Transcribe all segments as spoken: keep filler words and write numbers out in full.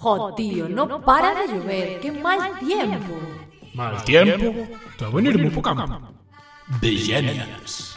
Jo, tío, no para de llover, qué mal tiempo. Mal tiempo? Está a venirme po campo. Villenials.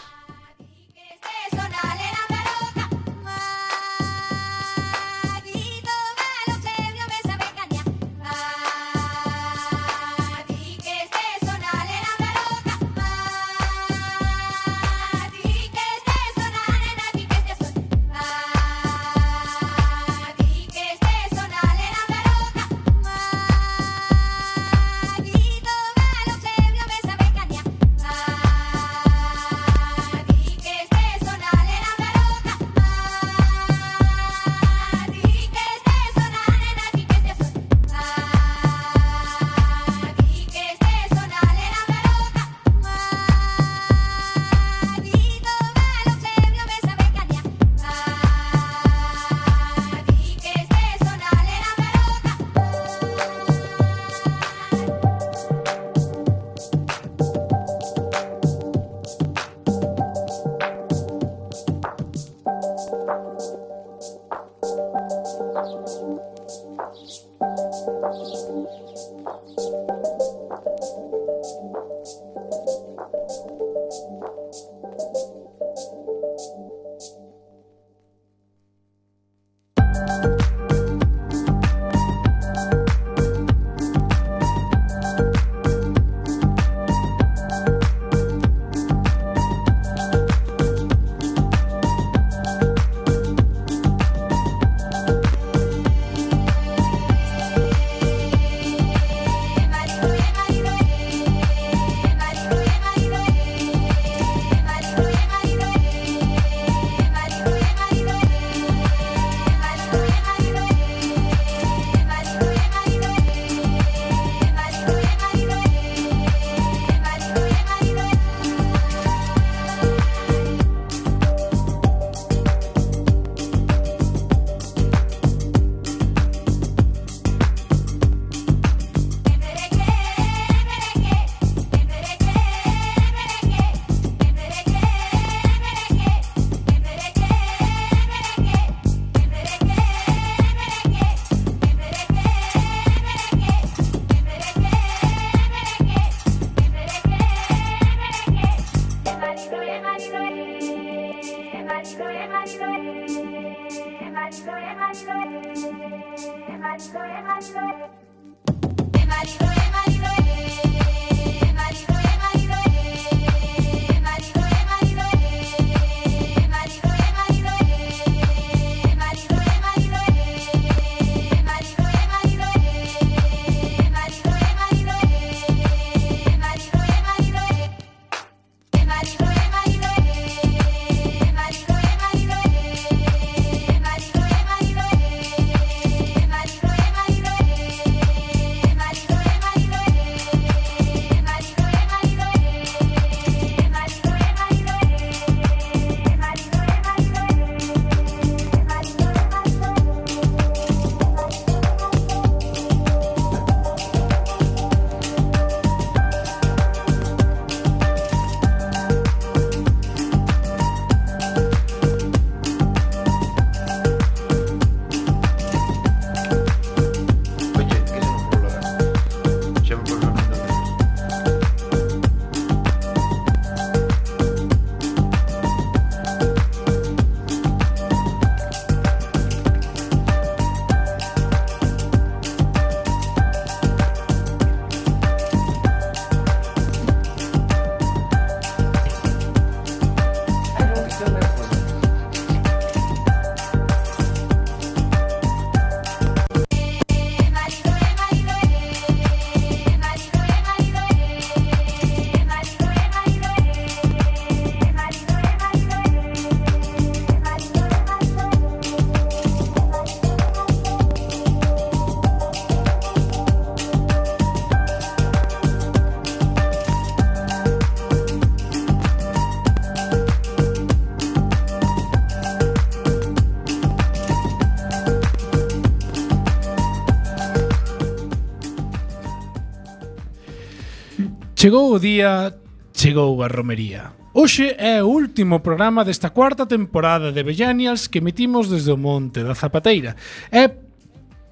Chegou o día, chegou a romería. Hoxe é o último programa desta cuarta temporada de Villenials que emitimos desde o Monte da Zapateira. E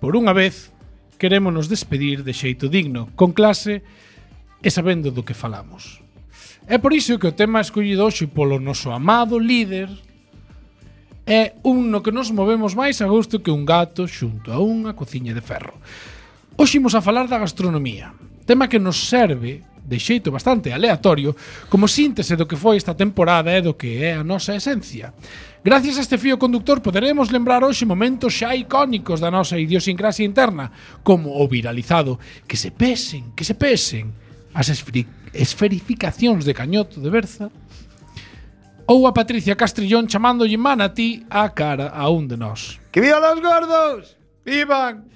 por unha vez, querémonos despedir de xeito digno, con clase e sabendo do que falamos. É por iso que o tema escollido hoxe polo noso amado líder é un no que nos movemos máis a gusto que un gato xunto a unha cociña de ferro. Hoxe imos a falar da gastronomía, tema que nos serve de xeito bastante aleatorio como síntese do que foi esta temporada e do que é a nosa esencia. Gracias a este fío conductor poderemos lembrar hoxe momentos xa icónicos da nosa idiosincrasia interna, como o viralizado que se pesen, que se pesen as esferi- esferificacións de Cañoto de Berza, ou a Patricia Castrillón chamándolle manatí á cara a un de nós. ¡Que vivan los gordos! ¡Vivan!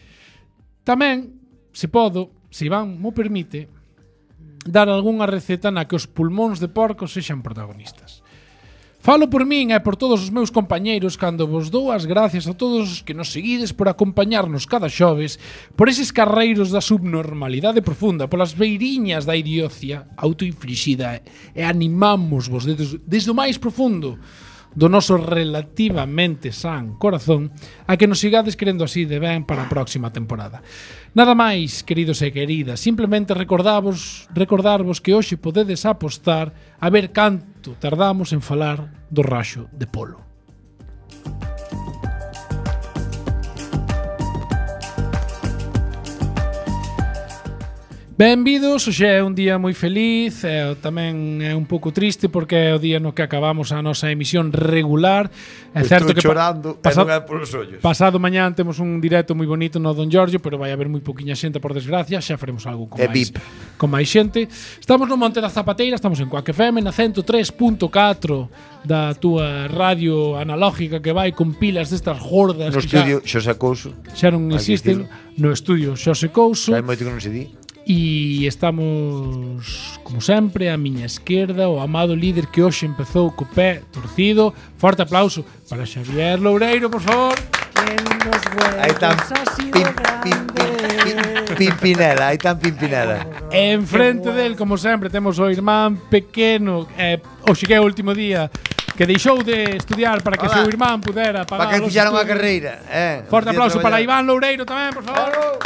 Tamén, se podo, se Iván mo permite, dar algunha receta na que os pulmóns de porco sexan protagonistas. Falo por min e por todos os meus compañeiros cando vos dou as gracias a todos os que nos seguides por acompañarnos cada xoves, por eses carreiros da subnormalidade profunda, polas beiriñas da idiocia autoinflixida e animámosvos desde, desde o máis profundo do noso relativamente san corazón a que nos sigades querendo así de ben para a próxima temporada. Nada máis, queridos e queridas, simplemente recordavos, recordarvos que hoxe podedes apostar a ver canto tardamos en falar do raxo de polo. Benvidos, hoxe é un día moi feliz e tamén é un pouco triste porque é o día no que acabamos a nosa emisión regular. É certo Estou que chorando pa- e non é polos ollos. pasado mañán temos un directo moi bonito no Don Giorgio, pero vai haber moi poquinha xente por desgracia, xa faremos algo con E máis V I P. con máis xente. Estamos no Monte da Zapateira, estamos en Quack F M na ciento tres punto catro da túa radio analógica que vai con pilas destas gordas No que xa, estudio Xosé Couso. xa non hai que existen. No estudio Xosé Couso. Xa hai moito que non se di. E estamos, como sempre, a miña esquerda, o amado líder que hoxe empezou co pé torcido. Forte aplauso para Xavier Loureiro, por favor. Aí tan pim, pim, pim, pim, Pimpinela, aí tan Pimpinela. E enfrente del, como sempre, temos o irmán pequeno, eh, hoxe que é o último día, que deixou de estudiar para que Hola. seu irmán pudera pagar Para que os fixaron a estudios. carreira, eh. Forte Día aplauso para traballar. Iván Loureiro tamén, por favor.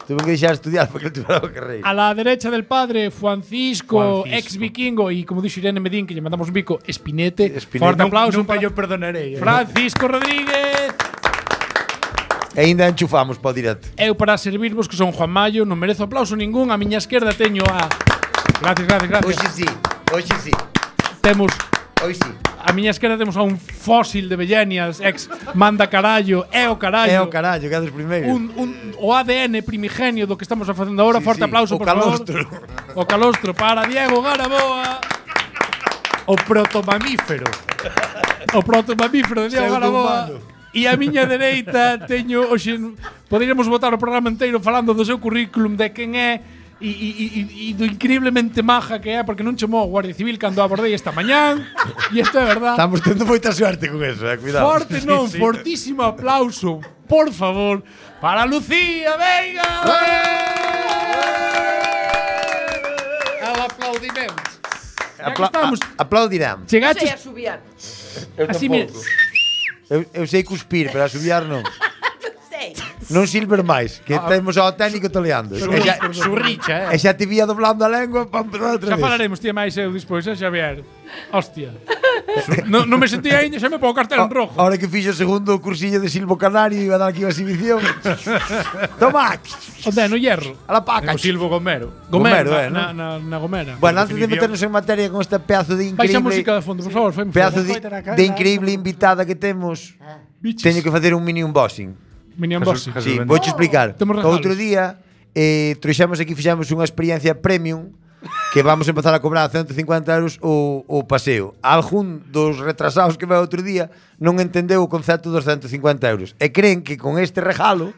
Tuve que deixar de estudiar porque ele tuviera a carreira. A la derecha del padre, Francisco, Francisco. ex vikingo, y como dixe Irene Medín, que lle mandamos un bico, Espinete. Espinete. Forte Non- aplauso Nunca para yo perdonarei. eh. Francisco Rodríguez. E ainda enchufamos para o directo. Eu para servirvos que son Juan Mayo, non merezo aplauso ningún. A miña esquerda teño a... Gracias, gracias, gracias. Hoxe sí, hoxe sí, Temos... hoxe sí. A miña esquerda temos a un fósil de Bellenias, ex manda carallo, é o carallo. É o carallo, que é dos primeiros. Un, un, o A D N primigenio do que estamos facendo agora. Sí, Forte sí. aplauso, O por calostro. favor. O calostro para Diego Garaboa. O protomamífero. O protomamífero de Diego Garaboa. Pseudo-humano. E a miña dereita teño hoxe poderíamos botar o programa inteiro falando do seu currículum, de quen é e, e, e, e do increíblemente maja que é, porque non chamou a Guardia Civil cando a abordei esta mañán. E isto é verdad. Estamos tendo moita suerte con eso, eh, cuidado. Forte non, fortísimo aplauso, por favor, para Lucía Veiga. Al aplaudimento. Ya que Apla estamos, a- aplaudirán. chegaches a subiar. así, mira, Eu, eu sei cuspir, pero a subiar non. Sei. Non silver máis, que temos ao técnico toleando. E xa, Surricha, e eh. xa te vía doblando a lengua para empezar outra xa vez. falaremos, tía, máis eu despois, eh, Xavier. Hostia. non, non me sentí aínda, xa me pongo cartel en rojo. Ahora que fixo o segundo cursillo de Silvo Canario iba a dar aquí unha exhibición. Toma, Onde, no hierro. a la paca. O Silvo Gomero. Gomero, Gomero, eh, na, na, na Gomera. Bueno, antes de definición. meternos en materia con esta pedazo de Baixa a música increíble de fondo, por favor. Fai pedazo de, de increíble invitada que temos, teño que facer un mini unboxing. Minion Jesús- Bossing. Jesús Sí, Bendito. vouche explicar. Temos O regalos. outro día eh, trouxemos aquí, fixemos unha experiencia premium que vamos a empezar a cobrar a ciento cincuenta euros o, o paseo. Algún dos retrasados que veo outro día non entendeu o concepto dos ciento cincuenta euros e creen que con este regalo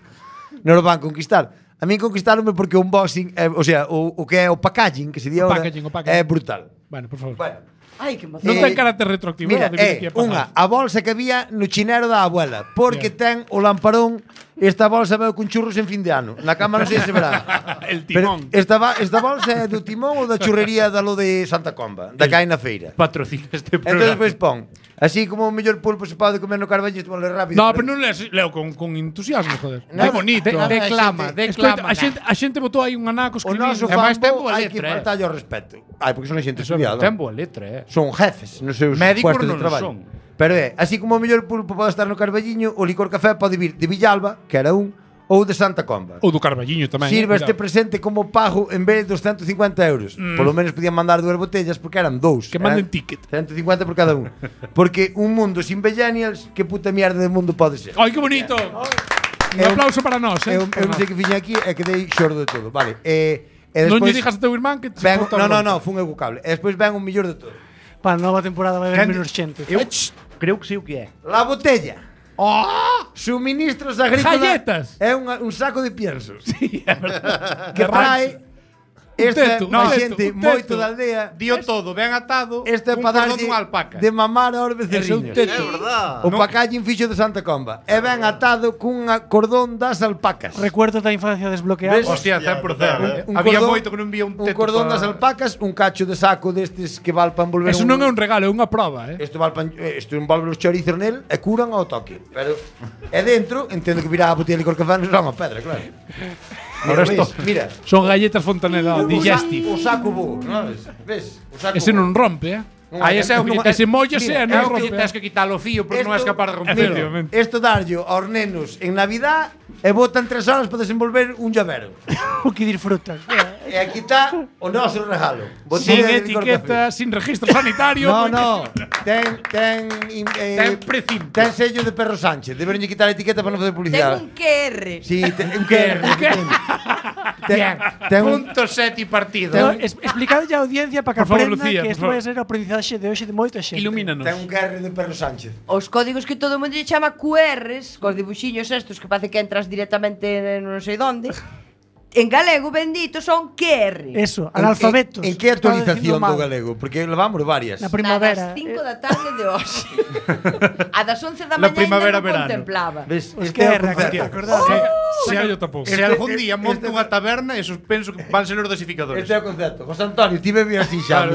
non o van conquistar. A mí conquistaronme porque o unboxing, eh, o sea, o, o que é o packaging, que se di O ahora, packaging, o packaging. é brutal. Bueno, por favor. Bueno, Ai, que emoción. Non Eh, ten carácter retroactivo. mira, de vir aquí é a pagar. unha, a bolsa que había no chinero da abuela, porque Bien. ten o lamparón, esta bolsa veo con churros en fin de ano. Na cama non sei se verá. El Pero timón. esta, ba- esta bolsa é do timón ou da churrería da lo de Santa Comba, da que hai na feira. Patrocina este Entón programa. despois pon Así como o mellor pulpo se pode comer no Carballito, vale rápido. No, pero non lees, leo con, con entusiasmo, joder. No, É bonito. De, a ver, declama, a xente- declama. Escoita, a xente, a xente botou aí un anaco O escribindo. noso E máis ten fanbo boa hai que letra, eh. faltarlle o respeto. Ai, porque son a xente Eso é estudiada. ten boa letra, eh. Son jefes nos seus Médicos puestos de non traballo. son. Pero é, así como o mellor pulpo pode estar no Carballiño, o licor café pode vir de Villalba, que era un, ou de Santa Comba. Ou do Carballiño tamén. Sirva eh, este cuidado. presente como pago en vez dos ciento cincuenta euros. Mm. Por lo menos podían mandar dúas botellas porque eran dous. Que manden Eran ticket. ciento cincuenta por cada un. Porque un mundo sin millennials, que puta mierda de mundo pode ser? Ai, que bonito. Un Eu- aplauso para nós, eh. Eu, eu non sei que fiña aquí e quedei xordo de todo. Vale. E, e Non lle despois dijas a teu irmán que te ven, bota no, no, bronca. no, fun eu co cable. E despois ven un millor de todo. Para a nova temporada vai haber Quen- menos xente. Eu creo que sei o que é. La botella. Oh! Suministros agrícolas. Galletas. É un, un saco de piensos. Sí, é verdade. Que trae esta teto, no, un teto, xente un moito teto. da aldea. Dio todo, ben atado, Este é cun para cordón darlle dunha alpaca. de mamar aos Ese é un becerriños. teto. O pacallín fixo de Santa Comba. E ben atado cun cordón das alpacas. Recuerdos da infancia desbloqueados. Ves? Hostia, cen por cento. Un Había cordón- moito que non vía un Un teto. cordón pa- das alpacas, un cacho de saco destes que val para envolver Eso non é un regalo, é unha proba, eh. Isto val pa, isto envolve os chorizos nel e curan ao toque. Pero é dentro, entendo que virá a botella de licor café non será unha pedra, claro. Mira, Ahora esto- ves, mira. Son galletas Fontaneda digestive. O saco bo, non ves? Ves? O saco Ese bo. non rompe, eh. Non Aí hai- ese é o que non lle hai- Ese mollase Mira, e non É o que rompe. lle tens que quitar o fío porque non és Esto- capaz de romper. Efectivamente. Esto darllo aos nenos en Navidad e botan tres horas para desenvolver un llavero. O que disfrutan. E aquí está o noso regalo. Sin Botella de licor etiqueta, café. sin registro sanitario. No, porque- no. Ten ten eh, Ten precinto. ten sello de Perro Sánchez. Deberon quitar a etiqueta para non facer Ten publicidade. un Q R. Sí, ten un Q R. Ten, ten un Punto sete partido. No, es, explicadlle a audiencia para que Por favor, aprenda Lucía, que por isto favor. vai ser o aprendizaxe de hoxe de moita xente. Ilumínanos. ten un Q R de Perro Sánchez. Os códigos que todo o mundo lle chama Q Rs, cos dibuxiños estos que parece que entras directamente non sei donde. En galego bendito son Q R. Eso, analfabetos. En, en que Estaba actualización dicindo mal. do galego? Porque levamos varias. Na Na primavera. das cinco eh, da tarde de hoxe. A das once da La mañá primavera, ainda non verano. contemplaba. Ves? Os Este é o Q R, concepto. acordade? Se hai yo tampouco. Se Este- algún día este- monto unha taberna, esos penso que van ser os dosificadores. Este é o concepto. José Antonio, ti bebe así xa.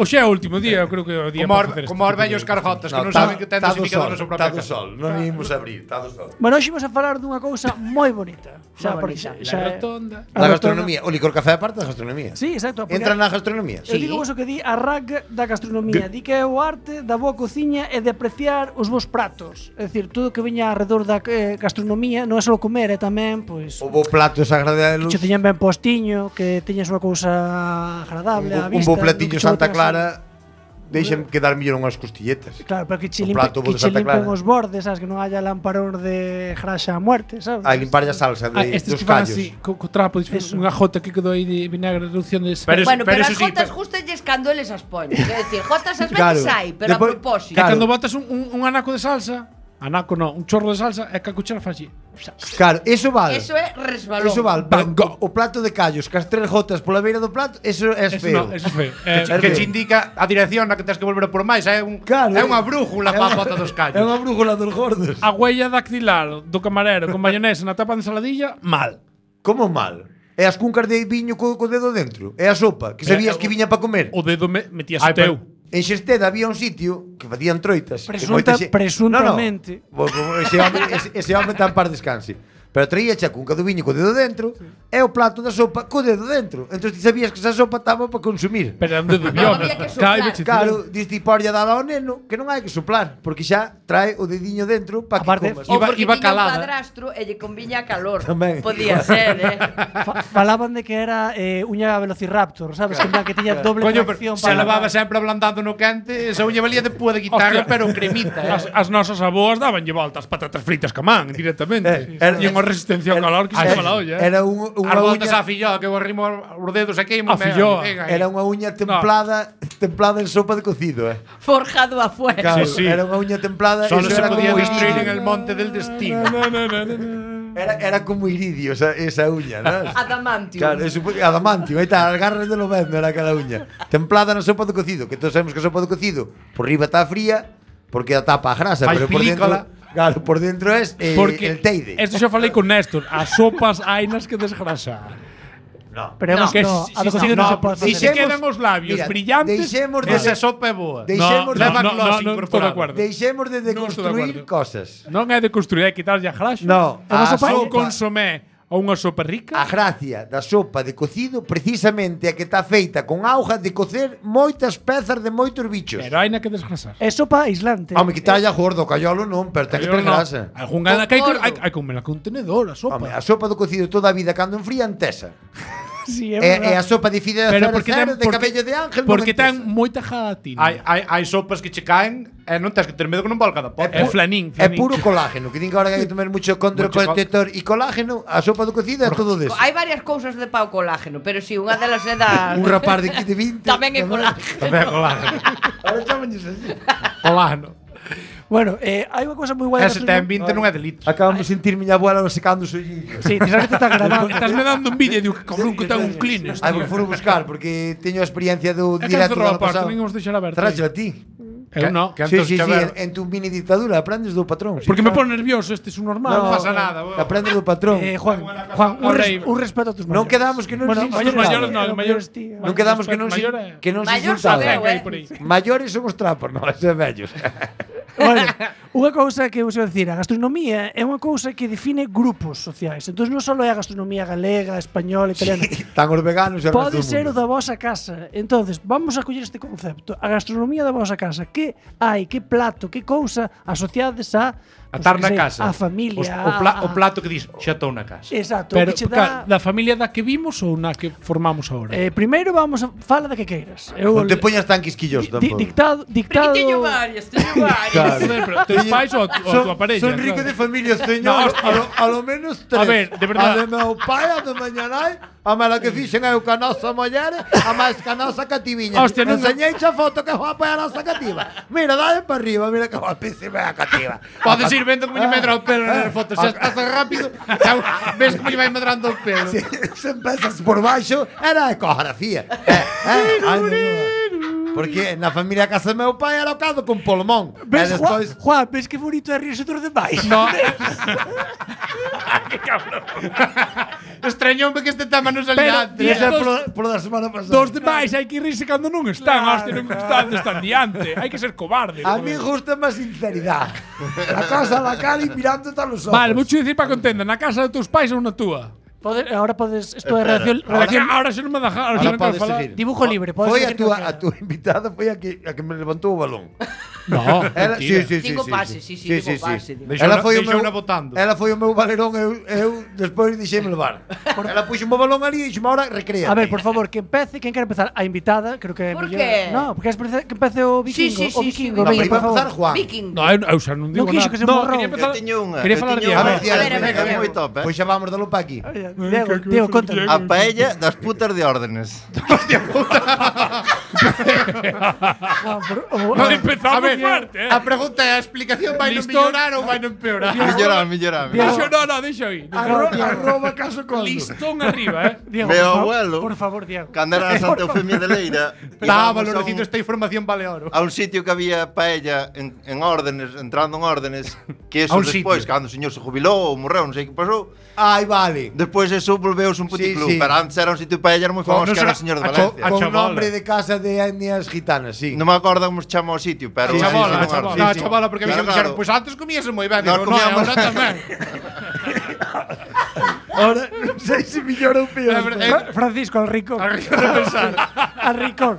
Hoxe é o último día, eu creo que é o día Como, para os, facer como os este tipo vellos de- carjotas que non tá- saben que ten tá do dosificador sol, na súa tá propia do casa. sol. Non imos abrir, tá do sol. Bueno, hoxe imos a falar dunha cousa moi bonita. Xa, Moi porque bonita. xa, La xa, rotonda. a Da rotonda- gastronomía. O licor café é parte da gastronomía. Sí, exacto. porque Entra na gastronomía. Eu digo vos o que di a R A G da gastronomía. Di que é o arte da boa cociña e de apreciar os vos pratos. É dicir, todo o que veña alrededor da eh, gastronomía non é só comer, é tamén, pois, O bo plato é sagrado de que luz. che teñan ben postiño, que teñas unha cousa agradable á Un, bo- un vista. bo platillo que che Santa boten así. Clara deixen quedar mellor unhas costilletas. Claro, pero que che, O limpe, plato bo que de che Santa limpen Clara. os bordes, sabes, que non haya lamparón de graxa a muerte, sabes? A limpar a salsa de, Ah, estes dos que fan callos. así, co, co trapo, dis, Eso. unha jota que quedou aí de vinagre, reducción de Pero es- Bueno, pero, eso as sí, jotas pero- gustalles cando eles as poñen. Quer decir, jotas as Claro. veces hai, pero Depois- a propósito. E Claro. cando botas un, un, un anaco de salsa, anaco non, un chorro de salsa, e que a cuchara faz así. Claro, eso vale. Eso é resbalón. Eso vale, Van pero o, o plato de callos, cas tres gotas pola beira do plato, eso é Eso feo. no, eso é feo. Eh, É Que feo. che indica a dirección na que tens que volver a por máis, é un Claro, é unha brújula é para a unha- bota dos É callos. unha brújula dos gordos. a huella dactilar do camarero con mayonesa na tapa de ensaladilla, mal. Como mal? E as cuncas de viño co, co dedo dentro? E a sopa, que sabías Eh, que viña para comer? O dedo me, metías Ai, o teu. pero- En Xesteda había un sitio que facían troitas. que Presunta- moita xe- presuntamente. No, no. Bo- bo- Ese home, ese, ese home tan par descanse. Pero traía a cunca do viño co dedo dentro e o plato da sopa co dedo dentro. Entón ti sabías que esa sopa estaba para consumir. Pero é un dedo Non bioma. había que soplar. Caibe, che, Claro, diste porlla dada ao neno que non hai que soplar, porque xa trae o dediño dentro para que Aparte, comas. Ou Iba- porque iba tiña calada. un padrastro e lle conviña a calor. Tamén. Podía ser, eh. Fa- falaban de que era eh, uña velociraptor, sabes? Que, en plan que tiña doble Coño, pero tracción se levaba sempre ablandando no quente, esa uña valía de púa de guitarra, Hostia. pero cremita. As, Eh. as nosas aboas dabanlle voltas patatas fritas que man directamente. Eh, era- e unha resistencia ao calor que se Era- chama la olla. Eh. Era un, unha As voltas uña, a filloa que eu arrimo os dedos e queimo. A filloa. era unha uña templada, templada en sopa de cocido, eh. Forjado a fuego. Claro, Sí, sí. era unha uña templada, Solo eso se era podía como destruir en iridio. el monte del destino. No, no, no, no, no. Era, era como iridio esa, esa uña, ¿no? Adamantium. Claro, eso, adamantium, aí está, as garras de lo vendo era aquela uña. Templada na sopa de cocido, que todos sabemos que a sopa de cocido por riba está fría, porque a tapa a grasa, Fai pero por dentro, película. claro, por dentro es eh, Porque el teide. Esto xa falei con Néstor, as sopas hai nas que desgrasar. No. Pero No. no, Que no, si- a do si- cocido no, non se pode si facer. se quedan os labios Mira, brillantes, deixemos de Esa sopa é boa. Deixemos no, de no, no, gloss no, non estou de incorporado. acordo. Deixemos de Non estou de deconstruir acordo. cosas. Non é de construir, é quitarlle a graxa. No, É unha a sopa- Só sopa, consomé a unha sopa rica. a gracia da sopa de cocido precisamente é que está feita con auga de cocer moitas pezas de moitos bichos. Pero hai na que desgrasar. É sopa aislante. Home, quitarlle a gordo, callolo non, pero ten que ter grasa. Algunha que hai que Gordo. hai, hai que comer con tenedor a sopa. Home, a sopa do cocido toda a vida cando enfría entesa. Sí, é E, e verdade. a sopa de fideo Pero cero porque cero ten de porque, cabello de ángel porque non entesa. ten moita gelatina. Hai, hai, hai sopas que che caen e non tens que ter medo que non valga da pota. É flanín, É flanín. puro colágeno, que din que ahora que hai que tomar mucho Mucho contraprotector e colágeno, a sopa do cocido é todo deso. Hai varias cousas de pau colágeno, pero si, unha delas é da... Un rapaz de quince vinte Tamén é colágeno. Tamén é colágeno. Ahora chámanlles así. Colágeno. Bueno, eh, hai unha cousa moi guai. Ese ten vinte non é de litros. Acabamos de sentir miña abuela secando os olliños. Sí, tens que te está grabando. Estás me dando un vídeo e digo que cabrón que ten un Kleenex. Ai, tío. me furo buscar porque teño a experiencia do É que directo cerrou do a ano porta, pasado. non imos deixar aberta. Tracho a ti. Eu non. Que Sí, antes sí, que sí, ver- en, en tu mini dictadura aprendes do patrón. Sí. Porque me pone nervioso, este é un normal. Non pasa nada. bo. Aprendes do patrón. Eh, Juan, Juan, un, res, un respeto a tus mayores. Non quedamos que non Bueno, nos mayores, insultamos. mayores non, eh, mayores, tío. Non quedamos que non se, Maior é- que non se Maior insultaba. sabeu, eh. por aí. Maiores son os trapos, non, ese é vellos. Bueno, unha cousa que eu sei dicir, a gastronomía é unha cousa que define grupos sociais. Entón non só é a gastronomía galega, española, italiana. Están os veganos e o resto Pode do ser o mundo. da vosa casa. Entonces, vamos a coller este concepto. A gastronomía da vosa casa. Que hai, que plato, que cousa asociades a A pues, estar que na sei, casa. a familia. Os- O, pla, a- o plato que dis, xa estou na casa. Exacto, Pero o que che ca- dá. da familia da que vimos ou na que formamos agora? Eh, primeiro vamos a fala da que queiras. Eu Non te poñas tan quisquilloso di- tampouco. dictado, Porque dictado. teño varias, teño varias. Claro. Joder, pero teus pais ou a tu, ou a tua parella? Son rico claro. de familia, señor. No, a, lo, a lo menos tres. A ver, de verdad. A de meu pai, a de mañanai, a mala que fixen eu ca nosa muller, a máis ca nosa cativiña. Hostia, non- Enseñei a foto que guapa é a nosa cativa. Mira, dale para arriba, mira que guapísima é a cativa. Podes ir vendo como lle medra o pelo nas fotos. Se estás rápido, xa ves como lle vai medrando o pelo. Se, se empezas por baixo, era a ecografía. Eh, eh, ai, no, porque na familia casa do meu pai era o caldo con polmón. Ves, e Juan, despois... Juan, ves que bonito é rirse dos demais. No, Extrañoume que este tema non Pero, salía antes. Esa é dos- polo, polo da semana pasada. dos demais hai que irse cando non están, hostia, non están, están diante. Hai que ser cobarde. A mí gusta máis sinceridade. La cosa a la cara e mirándote a los ojos. Vale, vou dicir para contenda, na casa dos teus pais ou na túa? Pode, ahora podes, isto é Espera, redacción, Ahora, redacción ahora xa non me deja, ahora, Ahora xa non quero podes falar. seguir. dibujo libre, podes Foi a decir túa, calquera. a túa invitada foi a que, a que me levantou o balón. No, Ela, mentira. sí, sí, sí, Digo sí, pase, sí, sí, digo pase, digo. Deixou Ela na- foi o deixou meu, na botando. ela foi o meu valerón, eu, eu despois dixeme levar. Ela puxo o balón ali e dixeme, ahora recrea. A ver, por favor, que empece, quen quere empezar? A invitada, creo que é Por mellor. qué? No, porque es que empece o Sí, vikingo, sí, o sí, vikingo, sí, No, veña, pero iba por a empezar favor. Juan. Viking. No, eu, eu xa non digo quixo nada. que se no, morrou. quería empezar, Eu teño unha, quería eu falar teño de A unha. ver, Diego, A ver, a ver, venga, a ver. venga. moi top, eh. Pois xa vamos dalo pa aquí. Diego, Diego, contanos. A paella das putas de órdenes. Juan, por- o- No, o- empezamos A ver, fuerte, eh. a pregunta é, a explicación vai non Listo. mellorar ou vai non empeorar? Mellorame, mellorame. Deixo, no, no, deixo aí. Arro, arroba caso con. Listón arriba, eh. Diego, Meu por fa- abuelo. Por favor, Diego. Cando era a Santa Eufemia de Leira, Está íbamos a valorecito un- esta información vale oro. a un sitio que había paella en, en órdenes, entrando en órdenes, que A eso un despois, sitio. cando o señor se jubilou ou morreu, non sei que pasou, Ai, vale. despois eso volveuse un puticlub, Sí, sí. pero antes era un sitio de paella era moi Con- non famoso, que era será- o señor de a cho- Valencia. a Con chabola. nombre de casa de etnias gitanas, sí. Non me acordo como se chama o sitio, pero... A Sí, chabola, sí, a sí, chabola. sí, No, a sí. chabola, porque a mí Claro, me dixeron, claro. pois antes comíase moi ben. Nós Digo, no, e comíamos- agora tamén. Ahora non sei se millor ou peor. É verdade. Fra- Francisco, al rico. Arriba de pensar. Al rico.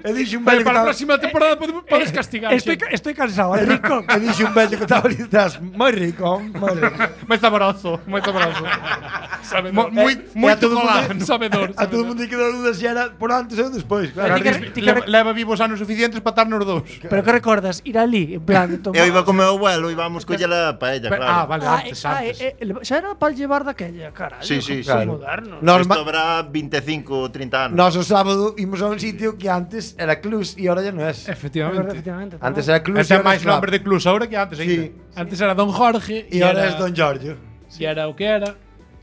E dixo un Pero vello que para a estaba... próxima temporada podes, podes castigar. Estoy, xente. ca- estoy cansado, al rico. E dixo un vello que estaba ali detrás, moi rico, moi rico. Moi saboroso, moi saboroso. Sabedor. Mo- moi, E- e a moito todo mundo- colágeno. Sabedor. A todo mundo que dá dudas se era por antes ou despois, claro. Ti que- ti que- Le- Leva vivos anos suficientes para estar nos dous. Pero que recordas? Ir ali, en plan, tomar... Eu iba con meu abuelo e íbamos coller a paella, Pero- claro. Ah, vale, Ah, antes, eh, ah, antes. eh, eh, xa era para llevar daquella, carallo. Sí, sí, que sí. son modernos. Nos, Isto habrá veinticinco ou trinta anos. Nós o sábado imos a un sitio que antes era Clus e ahora ya non é. É verdade, Efectivamente. efectivamente. Antes era Clus Ese e é ahora máis é Club. nombre de clubs ahora que antes, Sí. ainda. Antes era Don Jorge E ahora é Don Giorgio. E era o que era.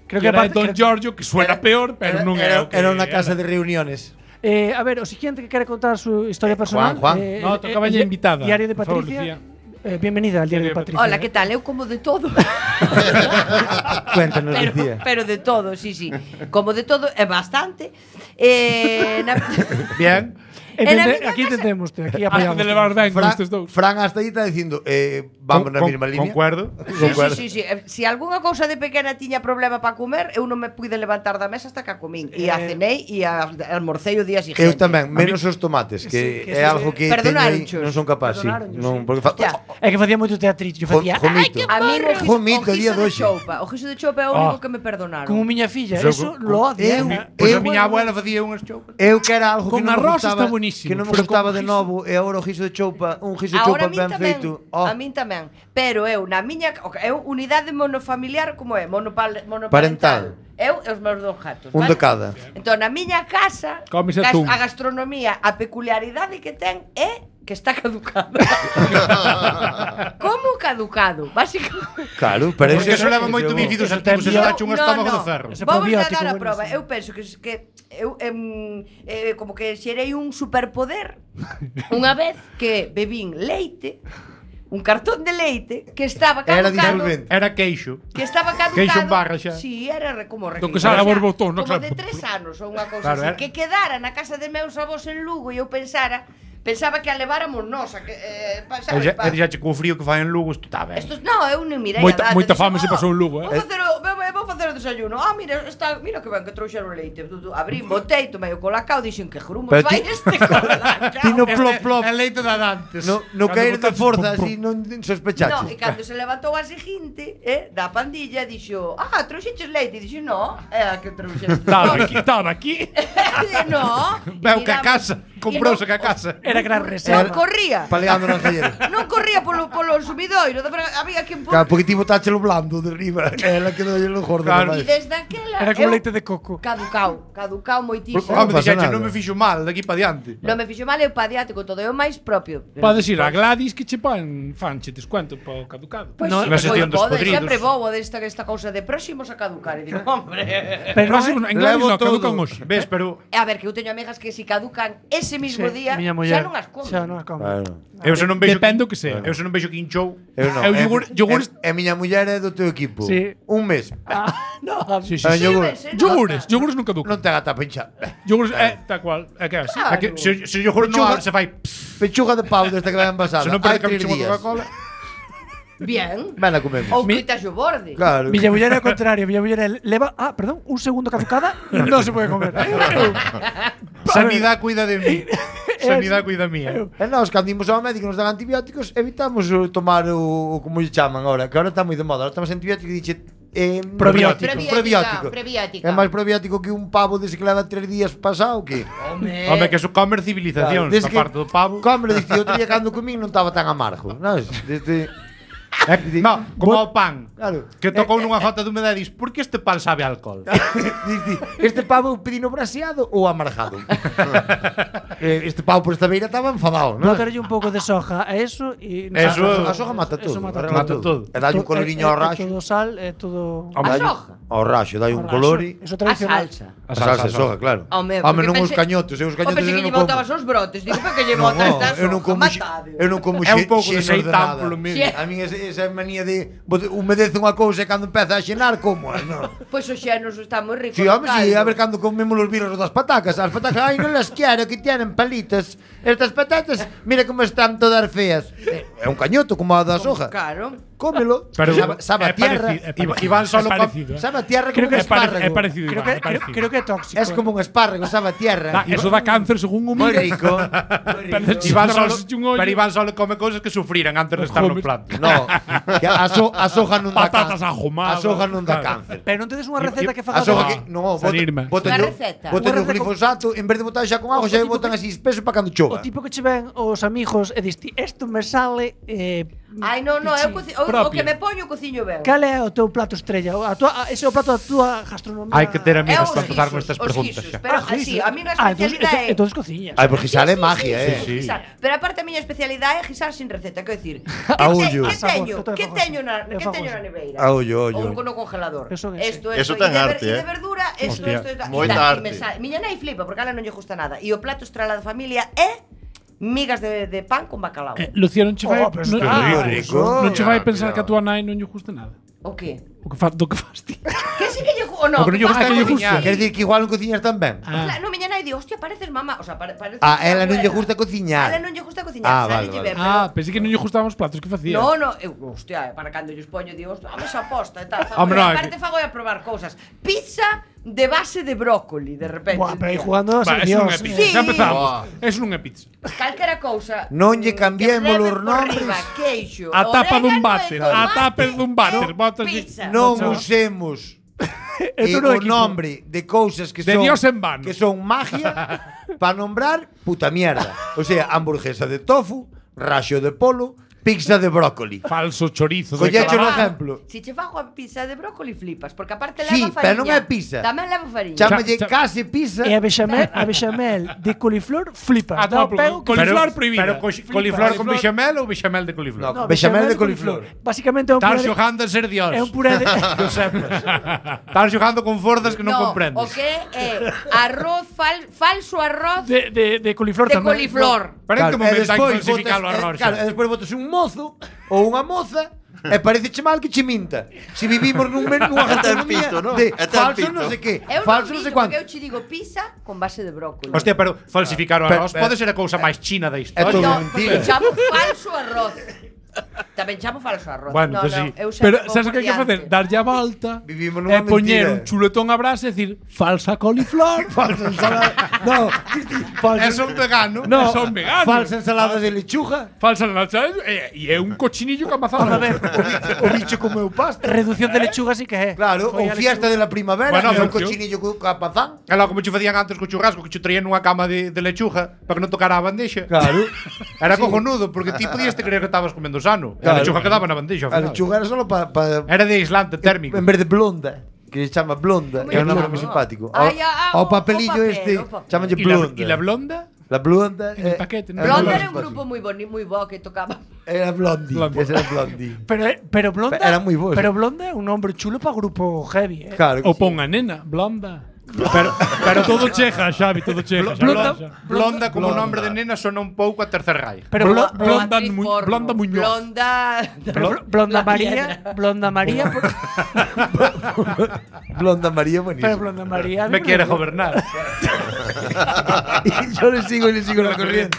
Creo Que que era aparte- Don creo- Giorgio, que suena Era- peor, pero non era, o que Era unha era. casa de reuniones. Eh, a ver, o siguiente que quere contar su historia Eh, personal. Juan, Juan. eh, No, el- tocaba el ya di- invitada. Diario de Por favor, Patricia. Lucía. Eh, bienvenida al diario de Patricia. Hola, que tal? Eu como de todo. Cuéntanos, pero, Lucía. pero de todo, sí, sí. Como de todo, é bastante. Eh, na... Bien. En a Entende, miña aquí casa- entendemos, aquí Has apoyamos. de levar ben con Fran, estes dous. Fran hasta aí está dicindo eh, vamos na Con- mesma línea. Concuerdo. Sí, sí, sí, sí. Eh, Si algunha cousa de pequena tiña problema para comer, eu non me pude levantar da mesa hasta que a comín. E a Eh, cenei e a almorcei o día siguiente. Eu tamén, menos os tomates, que, Sí, que é se- algo que teño aí, Perdonáronchos. non son capaz, sí. Perdonáronchos, Non, sí. porque fa... Ya. É que facía moito teatrito, eu Jo- facía Jomito. A mí o giso, Jomito, o día giso de doxe. choupa, o giso de choupa é o único Ah. que me perdonaron. como miña filla, Yo- eso con- lo odia. eu- eh. Pois Eu- a miña abuela facía unhas choupas. Eu que era algo Con que non me arroz gustaba, está buenísimo, que non me pero gustaba con de giso- novo, e agora o giso de choupa, un giso de choupa Ahora a min ben tamén, feito. Oh, a min tamén. Pero eu na miña, eu unidade monofamiliar como é, monopal, Parental. monoparental. Eu e os meus dous gatos, un vale? de cada. Entón, na miña casa, Comes gas- atún. a gastronomía, a peculiaridade que ten é que está caducada. Como caducado? Básicamente. Claro, pero Porque eso, eso leva moito bífidos eso activos, ten eso bio- dache un estómago de ferro. Ese Vamos a probiótico dar a buenísimo. prova. Eu penso que que eu em, eh, como que xerei un superpoder unha vez que bebín leite, un cartón de leite que estaba Era caducado. disolvente. Era queixo. Que estaba caducado. Queixo en barra xa. Sí, era re- como re- Do que sale a xa, borbotón, no, como claro. de tres anos ou unha cousa Claro, así. era- Que quedara na casa de meus avós en Lugo e eu pensara, pensaba que a leváramos nós, a que, eh, pa, E sabes, xa- pa- e xa che co frío que fai en Lugo, isto está ben. Estos, no, eu non mirei Moita- a data. moita Dixen, fame se pasou en Lugo, eh. Vou facer o, vou, vou facer o desayuno. Ah, mira, está, mira que ben que trouxeron leite. Tu, tu, abrí, botei, tomei o colacao, dixen que grumos Pero vai ti- este colacao. Ti no Este plop plop, é leite da dantes. no, no Cando caer de botaches, forza, pum, pum. así non No, sospechaches. e cando se levantou a seguinte, eh, da pandilla, dixo, ah, trouxeches leite? E dixo, no, é a que trouxeste. Estaba aquí, estaba aquí. no. Veu que a casa, comprouse que a casa. Era gran Non reserva. corría. Paleando nas galleras. Non corría polo, polo sumidoiro. de fra- Había que Claro, porque ti botáchelo blando de riba. Ela quedou lo gordo. Claro. E Claro. desde aquela Era como eu- leite de coco. Caducao, caducao moitísimo. Non Home, pasa dixache, nada. non me fixo mal, daqui pa diante. Non me fixo mal, eu padiate con todo, é o máis propio. Podes ir a Gladys que che pon fanche descuento para o caducado. Pois No, sí, na pois sección dos pode, podridos. sempre vou a desta, esta cousa de próximos a caducar. E digo, hombre. Pero non Próximo, é- en Gladys Levo no, caducan todo. hoxe. Ves, pero A ver, que eu teño amigas que si caducan ese mismo Sí, día, miña xa muller. non as como. Xa non as come. Claro. eu se non vexo Depende o que sea. Eu se non vexo quinchou. Eu non. Eu É- yogur- yogures- é- é miña muller é do teu equipo. Sí. Un mes. Ah, no, Sí, sí, Ah, sí. yogur. ves, eh, Yogures, nota. yogures non caducan. Non te gata pincha. Yogures, eh, tal cual, é que é así. Claro. A que se se yo juro Pechuga. non se fai. pss, Pechuga de pau desta que vai envasada. Se non Hai perde que tres me días. Coca-Cola. Bien. Ven a comemos. Ou quitas o borde. Claro. Miña muller é o contrario, miña muller é leva, ah, perdón, un segundo caducada, non se pode comer. Sanidade cuida de mí. Sanidade cuida mía. E nós, cando imos ao médico nos dan antibióticos, evitamos o tomar o, o como lle chaman agora, que agora está moi de moda. Agora estamos antibióticos e dixe eh, Probiótico. probiótico. Prebiótica. É máis probiótico que un pavo dese que leva tres días pasado, que? Home. Home, que eso comer civilizacións, Desde a parte do pavo. Come, dice, outro día cando comín non estaba tan amargo, non? Desde Eh, no, como o pan. Claro. Que tocou nunha jota de humedade e dis, por que este pan sabe a alcohol? Dice, este pavo pedino braseado ou amargado? Eh, este pavo por esta beira estaba enfadado, non? Botarlle un pouco de soja a eso e Eso- A soja mata todo, Eso mata arregla todo. todo. E dalle un To- coloriño é- ao é raxo. Todo sal, é todo A Dalle- soja. Ao raxo, dai un ao color raxo. e Eso A tradicional. salsa. a salsa de soja, claro. Home, Home, porque non os pensei- cañotos, eu os O cañotos pensei eu que lle non como. botabas os brotes. Digo, pero que lle No, botas no, esta eu non soja? como xe- Matade. eu non como É un xe- pouco de xenos de seitán nada. polo medio. Sí. A mí esa, esa manía de bot- humedece unha cousa e cando empeza a xenar como, non? Pois os xenos está moi rico. Si, no home, si, caldo. a ver cando comemos os birros das patacas. As patacas, ai, non las quero, que tienen palitos. Estas patatas, mira como están todas feas. Eh, É un cañoto como a da soja. Claro. Cómelo. Pero sabe, sabe a é tierra. parecido, é Iba- parecido. Iván solo é com- parecido, eh. Sabe a tierra Creo como un que É pare- espárrago. é parecido, Creo Iván, que, é creo, parecido. creo que é tóxico. Es como un espárrago, sabe a tierra. Ah, eso da cáncer según o Moi mira. rico. Moi rico. Parece- Iván Si solo, trabas un ollo- pero Iván solo come cousas que sufriran antes de estar no Comes- plato. No, que a, so, a soja non dá Patatas cáncer. ahumadas. A soja non dá Claro. cáncer. Pero non tedes unha receta que A faga soja Ah, que no, salirme. botan Unha yo, receta. botan Unha yo receta con- glifosato, en vez de botar xa con agua, O xa tipo botan que- así espeso para cando O chova. tipo que che ven os amigos e dis ti, isto me sale eh, Ai, non, non, eu coci- o, o propio. que me poño cociño ben. Cal é o teu plato estrella? O- A tua, a- ese é o plato da tua gastronomía. Hai que ter É amigos os para empezar con guisos, estas os preguntas guisos, xa. Pero Ah, así, guisos. a miña Ah, entonces, especialidade é... entonces cociñas. Ai, porque sale magia, eh. sí. Guisar. Pero aparte a miña especialidade é guisar sin receta, quero dicir, A que, ollo. que A sabor, teño, eu tamén que fago teño así. na, Eu que fago teño así. na neveira? A ollo, ollo. Ou no congelador. Eso é, Esto, sí. Eso esto, ten e de ver- arte, e de eh. verdura, esto, Hostia, esto, esto. moita e tal, arte. e me sale. Miña nai flipa porque a ela non lle gusta nada. E o plato estrela da familia é migas de, de pan con bacalao. Eh, Lucía, non che vai, Oh, pero non, está non, rico. non che vai Cuidado, pensar que a tua nai non lle gusta nada. O que? O que fa, do que fas ti. Que sí que lle gu- o no, O que non lle faz gusta que lle cociñar. gusta. Quer dicir que igual non cociñas tan ben? Ah. Claro, no, miña nai di, hostia, pareces mamá. O sea, pare, parece Ah, que ela non lle abuela. gusta cociñar. A ela non lle gusta cociñar, Ah, sabe vale, lle vale. ben, Ah, pensei que non lle gustaban os platos que facía. No, no, eu, hostia, para cando lles poño, digo, hostia, a mesa posta e tal. Hombre, Hombre, no, é aparte que- fago a probar cousas. Pizza de base de brócoli, de repente. Buah, pero aí tío. jugando a Va, ser eso non Dios. é pizza. Sí. Xa empezamos. Buah. Eso non é pizza. Calquera cousa. Non lle mm, cambiemos que leve os por nombres. riba, queixo, A tapa dun orégano váter, e a tomate tapa dun váter, e botas pizza. Non Chao. usemos É eh, todo o equipo. nombre de cousas que De son Dios en vano. que son magia para nombrar puta mierda. O sea, hamburguesa de tofu, raxo de polo, pizza de brócoli. Falso chorizo de Collecho un calamar. exemplo. Si che fago a pizza de brócoli flipas, porque aparte Sí, leva fariña. pero non é pizza. Tamén leva fariña. Chámalle Cha- cha- case pizza. E a bechamel, a bechamel de coliflor flipa. Ah, Dá no, o pego que coliflor flipa. prohibida. Pero co- coliflor con Coliflor. bechamel ou bechamel de coliflor? No, bechamel de coliflor. Basicamente é un Estás puré de, xogando a ser Dios. é un puré de Que o sepas. Estás xogando con forzas que non no, comprendes. o que é arroz, fal, falso arroz de, de, de, de coliflor tamén. coliflor. Pero en que e momento hai que despois falsificar o botas- arroz? eh, Claro, e despois botas un mozo ou unha moza e parece che mal que che minta. Si vivimos nun men- nunha Até el gastronomía pito, ¿no? de Até el falso pito. non sei que, Eu falso non non sei minto, porque cuánto. eu che digo pizza con base de brócoli. Hostia, pero falsificar o Pero- arroz pero- pode ser a cousa máis china da É historia. todo No, mentira. porque chamo falso arroz. Tamén chamo falso arroz. Bueno, no, pues no, sí. eu sempre Pero vou sabes o por que hai que facer? diante. Darlle a volta Vivimos e nunha poñer mentira. un chuletón a brasa e decir falsa coliflor. Falsa ensalada. No, falsa, É son vegano. No, son veganos. falsa ensalada de lechuga. Falsa lancha e, e é un cochinillo que amazado. A ver, O bicho comeu pasta. reducción de lechuga sí que é. Claro, Foi ou a fiesta de la primavera, Bueno, bueno, un pero- cochinillo co capazán. É logo como che facían antes co churrasco, que che traían nunha cama de, de lechuga para que non tocara a bandexa. Claro. Era cojonudo, porque ti podías te creer que estabas comendo sano. Claro. A lechuga quedaba na bandexa. ao A final. lechuga era solo para pa, Era de aislante térmico. en vez de blonda, que se chama blonda, Como que é un nome llama? moi simpático. Ai, ah, O o- papelillo o papel, este, o papel. chamalle E la, blonda. e la blonda? La blonda En el é- paquete, ¿no? é Blonde nome era un simpático. grupo moi boni, moi bo que tocaba. Era Blondie, Blondie. ese era Blondie. Pero, pero Blonda Era moi bo, Pero sí. Blonda é un nombre chulo para grupo heavy, eh. Claro. que O sí. pon a nena, blonda. Pero, pero todo cheja, Xavi, todo cheja. Xavi, Blonda- xa. Blonda como Blonda. nombre de nena sona un pouco a Tercer Reich. Pero Blonda- Blo- Blonda Actriz Mu- porno. Blonda Muñoz. Blonda. pero Bl- Blonda La María, piedra. Blonda María, por- Blonda María pero buenísimo. Blonda María Me quiere gobernar. Y yo le sigo y le sigo la corriente.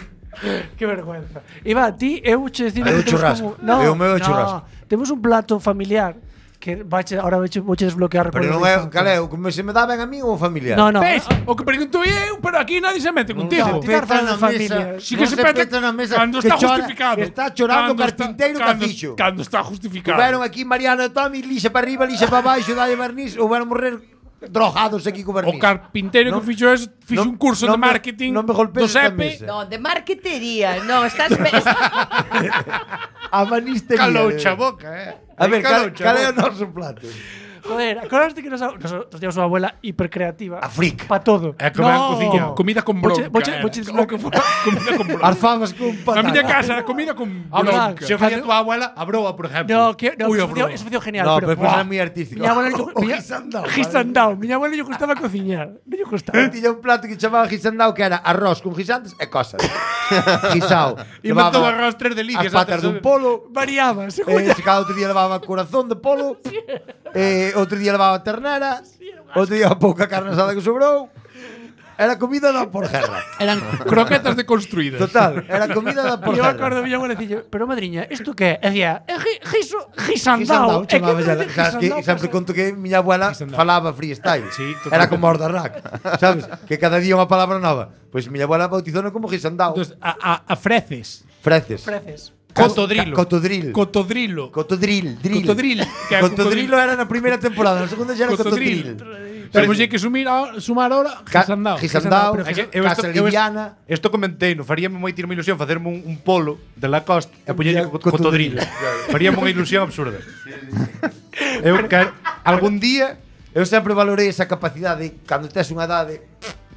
Qué vergüenza. Iba, ti, eu che decir É o que temos churrasco. como- No, É o meu no, churrasco. Temos un plato familiar que vache, ahora vache, vouche desbloquear Pero non é, cal é, o que me se me dá ben a mí ou familiar? No, no. Ves? O que pregunto eu, pero aquí nadie se mete contigo. No, ti estás falando de familia. Sí que non se peta peta na mesa cando que está chora- justificado. que está chorando o Cando está- carpinteiro que cando- fixo. Cando está justificado. Houberon aquí Mariano e Tommy, lixa para arriba, lixa para baixo, dalle barniz, houberon morrer drogados aquí co barniz. O carpinteiro Non- que fixo es, fixo non- un curso non de me- marketing non me golpees do esta Sepe. mesa. No, de marketería. No, estás. A manistería. Caloucha a boca, eh. A ver, cal, Caloucha cal é o boca. noso plato? Joder, acordaste que nos, nos, nos teníamos unha abuela hipercreativa. A fric. Para todo. É que van cociña. Comida con Voche- bronca. voche- era. voche O desbloque- que fora, comida con bronca. As fabas con Na patata. miña casa era comida con Hombre, bronca. se facía tua abuela, a broa, por exemplo. No, que, no, Uy, eso, a fue, broma. eso fue genial. No, pero, pero pues buah, era moi artístico. Mi abuela, O mi- guisandao, Guisandao. Mi abuela lle gustaba cociñar. Non lle gustaba. Tiña un plato que chamaba guisandao que era arroz con guisantes e cosas. Guisao. Inventou Levaba arroz tres delicias. as patas antes dun de- polo. Variaba, se Eh, se cada outro día levaba corazón de polo. Eh, outro día levaba ternera. Outro día pouca carne asada que sobrou. Era comida da por guerra. Eran croquetas deconstruídas. Total, era comida da por E eu guerra. acordo mi abuela dicía, pero madriña, isto que é? E dicía, é gi- giso, Guisandao, gisandao. É que chamaba non xa. é Sabes que gisandao, sempre pasa- conto que miña abuela Guisandao. falaba freestyle. Sí, totalmente. Era como os da rack. Sabes? Que cada día unha palabra nova. Pois miña abuela bautizouno como guisandao. Entonces, a, a, a freces. Freces. Freces. Cotodrilo. Cotodril. Cotodrilo. Cotodril, drill. Cotodril. Que é Cotodrilo era na primeira temporada, na segunda xa era Cotodril. cotodril. Temos que sumir a, sumar ahora Ca- Gisandao. Gisandao, pero É que eu Casa isto, eu isto, Liviana. isto comentei, no faríame moita ilusión facerme un, un polo de Lacoste e poñerlle Ya, co- cotodrilo. cotodrilo. Faríame unha ilusión absurda. Eu quero algún día Eu sempre valorei esa capacidade cando tes unha edade.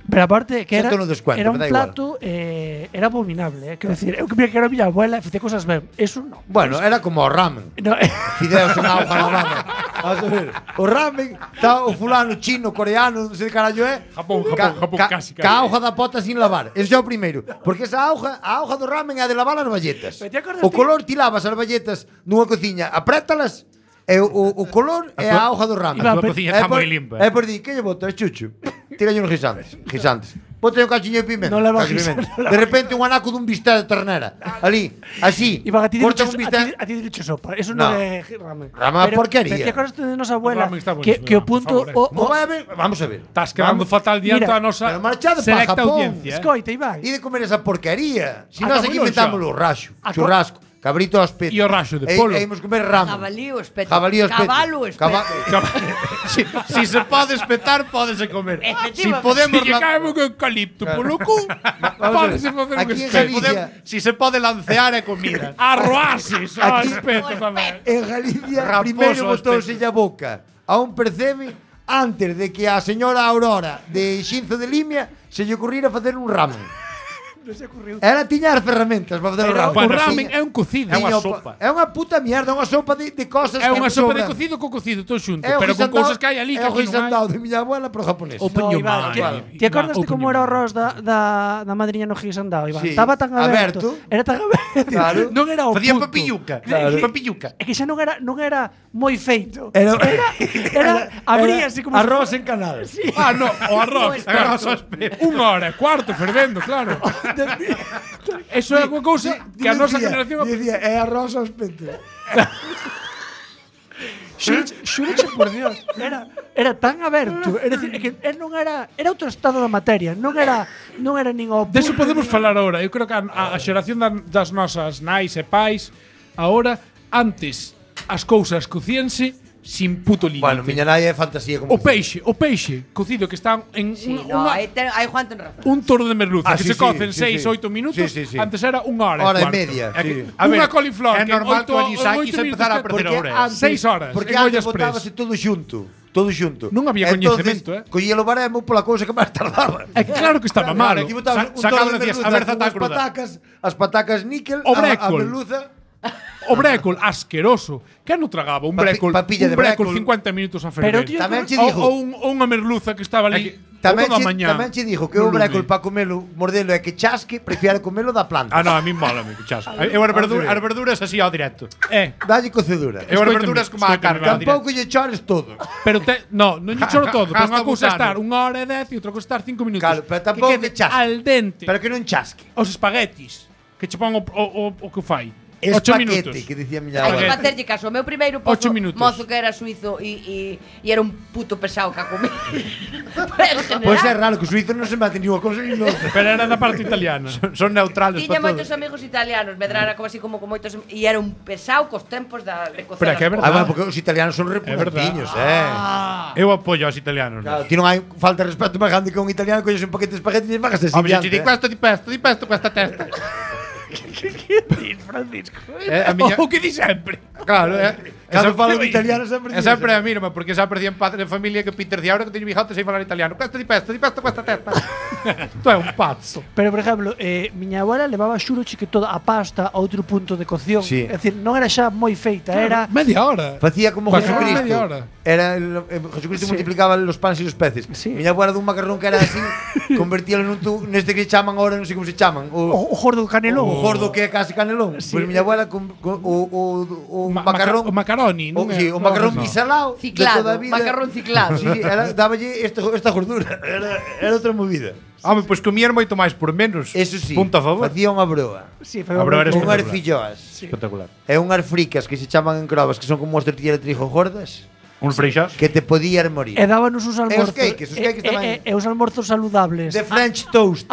Pero aparte que Xa era, te lo descuento, era me un da igual. plato eh, era abominable, eh. Quero decir, eu que mira que era miña abuela e facía cosas ben. Eso non. Bueno, era como o ramen. No, eh, Fideos en auga lavada. Vamos a ver. O ramen, está o fulano chino, coreano, non sei de carallo é. Japón, Japón, Japón, casi, casi. Ca auja da pota sin lavar. Eso é o primeiro. Porque esa auja, a auja do ramen é de lavar as balletas. Pero te acordas O ti- color ti lavas as balletas nunha cociña, aprétalas. E o, o, o color é a auja do ramen. Iván, A tua cociña está moi limpa. É por di, que lle boto? É chucho. Tiralle uns guisantes. Guisantes. Bote un cachiño de pimenta. Non leva cacho de guisantes, pimenta. non De repente un anaco dun bistec de ternera. Ali, así. Iván, a ti corta dicho, un a ti, bistec. a ti dicho sopa. Eso non No. é ramen. Ramen é porquería. Pero te acordas de nosa abuela ramen está que, buenísimo, que o Iván, punto por favor, o, No o, vai a ver. Vamos a ver. Estás quedando Vamos. fatal diante Mira, a nosa pero marchade pa selecta Japón. audiencia. eh. Escoita, Iván. E de comer esa porquería. Si Ah, nós como aquí non inventámoslo xa? raxo, Ah, churrasco, cabrito ao espeto. E o raxo de E- polo. E imos comer ramen. Jabalí o espeto. Jabalí ao espeto. Cabalo o espeto. Caba- Si, si se pode espetar, pódese comer. Si Efectivamente. podemos Se lle la- cae un eucalipto polo cu, Vamos a pódese ver. facer un Aquí en espeto. Galicia- podemos- si se pode lancear é comida. Arroases ao Aquí- espeto tamén. En Galicia, Raposo primeiro ao botouse a boca a un percebe antes de que a señora Aurora de Xinzo de Limia se lle ocurrira facer un ramen. Non se ocurriu. Ela tiña as ferramentas para facer o Pero ramen. o Tiña- ramen é un cocido. É unha tiña o- sopa. É unha puta mierda, é unha sopa de, de cosas É unha que sopa de sobran. cocido co cocido todo xunto, É o pero con guisandao- cousas que hai ali que É o aquí non hai. guisandao de miña abuela, pero japonés. O peño No, Iván, mal, que- Iván. Ti acordas de Iván, como o era o peño arroz da, da, da madriña no guisandao, Iván? Sí. Estaba tan aberto. Aberto. Era tan aberto. Claro. Non era o Facía punto. papilluca. Claro. Papilluca. É que xa non era non era moi feito. Era, Era abríase como arroz se en canal. Sí. Ah, no, o arroz. O claro. arroz ao espeto. Unha hora e cuarto fervendo, claro. Eso é unha cousa que a nosa generación... Dicía, é arroz ao espeto. Xúreche por Dios, era era tan aberto, é dicir, é que é non era era outro estado da materia, non era non era nin o Deso punto, podemos nin- falar ahora. Eu creo que a, a, a xeración da- das nosas nais e pais ahora, antes, as cousas cocíanse sin puto límite. Bueno, miña nai é fantasía como O peixe, o peixe cocido que están en Sí, unha, no, unha- aí, ten, aí Juan ten razón. un toro de merluza Ah, que sí, se sí, cocen sí, seis sí. oito minutos, Sí, sí, sí. antes era unha hora, Hora e cuarto. media, É sí. que- A ver, unha coliflor é que normal oito- que o anisaki oito se minutos empezara a que- perder Porque Ahora, antes, seis horas, Porque en antes ollas botábase pres. todo xunto. Todo xunto. Non había Entonces, coñecemento, eh. Collía o baremo pola cousa que máis tardaba. É que claro que estaba malo. Claro, aquí botabas Sa- un sacaba toro de decías, merluza a ver, con zata unhas cruda. patacas, as patacas níquel, O a, a brécol. merluza. O brécol asqueroso. Que non tragaba un Papi- brécol, papilla un de brécol brécol. cincuenta minutos a Pero, ferver. tío, Tamén che ou, digo, ou, un, ou unha merluza que estaba ali tamén toda a che, mañá. tamén che dijo que o No brécol lume. para comelo, mordelo é que chasque, prefiere comelo da planta. Ah, no, a mí mola, me chasco. Eu as verduras, as verduras así ao directo. Eh, Dalle cocedura. Eu as Escoítame, verduras como a escoítame, carne ao Tampouco directo. lle chores todo. pero te, no, non lle choro todo, pero Hasta unha cousa é butano. estar unha hora e dez e outra cousa estar cinco minutos. Claro, pero tampouco que que quede chasque. al dente. Pero que non chasque. Os espaguetis que che pon o, o, o, o que fai. Ocho minutos. Espaquete, que dicía miña Hai que abuela. facerlle caso. O meu primeiro Ocho pozo, minutos. mozo que era suizo e, e, e era un puto pesado que a comer. Pois é raro que os suizos non se maten ni unha cousa ni noutra. Pero era da parte italiana. Son neutrales Tiña para moitos todo. amigos italianos, medrara como así como con moitos e era un pesado cos tempos da de cocer. Pero é que é as verdade. Ah, cousas. bueno, porque os italianos son repugnantiños, eh. Eu apoio aos italianos. Claro, ti non hai falta de respeto máis grande que un italiano coñes un paquete de espagueti e pagas así. Home, diante, ti di eh. questo, di pesto, di pesto, questa testa. Eh, a miña, O que di sempre. claro, eh. Cando Esa- falo en italiano sempre É sempre a mírame, porque xa perdí en padre de familia que Peter di ahora que teño bigote sei falar italiano. Questo di pesto, di pesto questa testa. Tu é un pazzo. Pero, por exemplo, eh, miña abuela levaba xuroche que toda a pasta a outro punto de cocción. Sí. É dicir, non era xa moi feita, era Media hora. Facía como Pasaba Jesucristo. media hora. Era el, eh, Jesucristo Sí. multiplicaba los panes y los peces. Sí. Miña abuela dun macarrón que era así, convertíalo nun tu, neste que chaman ahora, non sei como se chaman, o, o o, gordo canelón. o gordo que é casi canelón. Sí. Pois miña abuela con, con o, o, o Ma- macarrón, maca- o macaroni, o, non é? sí, o macarrón No. bisalao de Ciclado, toda a vida. macarrón ciclado. Sí, sí, era, dáballe esta, esta gordura. Era, era outra movida. Home, pois comían moito máis por menos. Eso sí, Punto a favor. facía unha broa. Sí, A probar foi este- Unhas espectacular. filloas. Espectacular. E unhas fricas que se chaman en crobas, que son como as tortillas de trigo gordas, Un freixas. que te podías morir. E dábanos uns almorzos. cakes, os cakes e, tamén. e, e os almorzos saludables. De French toast.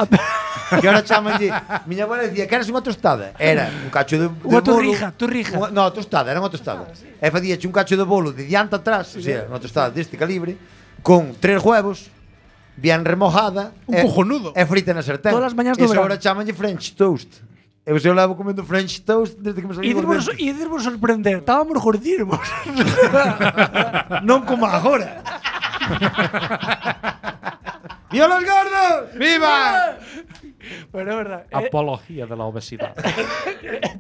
Que ahora chamanlle. Miña abuela dicía que eras unha tostada. Era un cacho de, de Unha bolo. torrija, torrija. Unha- no, tostada, era unha tostada. E facíache un cacho de bolo de diante atrás, o sea, unha tostada deste calibre, con tres huevos, bien remojada. Un e, cojonudo. E frita na sartén. Todas as mañás do Eso verán. ahora chamanlle French toast. Eu se eu levo comendo French toast desde que me E salí dirvos, e dirvos sorprender, estábamos gordísimos. Non como agora. ¡Viva los gordos! ¡Viva! Pero é verdade. Eh, Apología de la obesidade.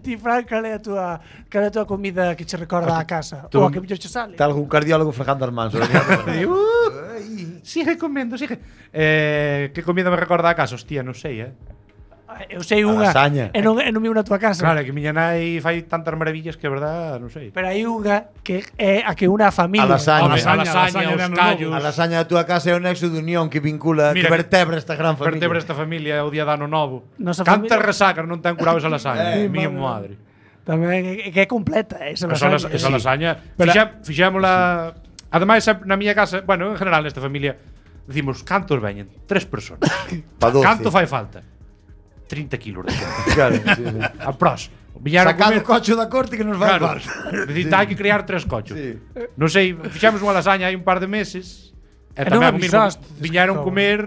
ti, Fran, cal é a tua, cal é a tua comida que che recorda a casa? tú- Ou a que mellor che sale? Está algún cardiólogo fregando as mans. Sigue comendo, sigue. Eh, que comida me recorda a casa? Hostia, non sei, eh. Eu sei unha. lasaña. E non, e non vivo na tua casa. Claro, é que miña nai fai tantas maravillas que, a verdad, non sei. Pero hai unha que é a que una a familia. A lasaña. Home, a a lasaña, lasaña os de Ano callos. A lasaña da túa casa é o nexo de unión que vincula, Mira, que vertebra esta gran familia. Vertebra esta familia o día de ano novo. Nosa Cantas familia- resacas non ten curado esa lasaña. Eh, Miña madre. madre. Tamén é que é completa esa Esa, lasaña. las- esa Sí. lasaña. Pero- Fixa, fixémola. Ademais, na miña casa, bueno, en general nesta familia, decimos, cantos veñen? Tres personas. Pa doce. Canto fai falta? trinta kilos de xente. Claro, sí, sí. A pros. Viñeron Sacado comer- o cocho da corte que nos vai Claro. falta. Decir, hai que criar tres cochos. Sí. Non sei, fixemos unha lasaña hai un par de meses. E E non tamén o mismo, avisaste. viñeron Cabrón. comer,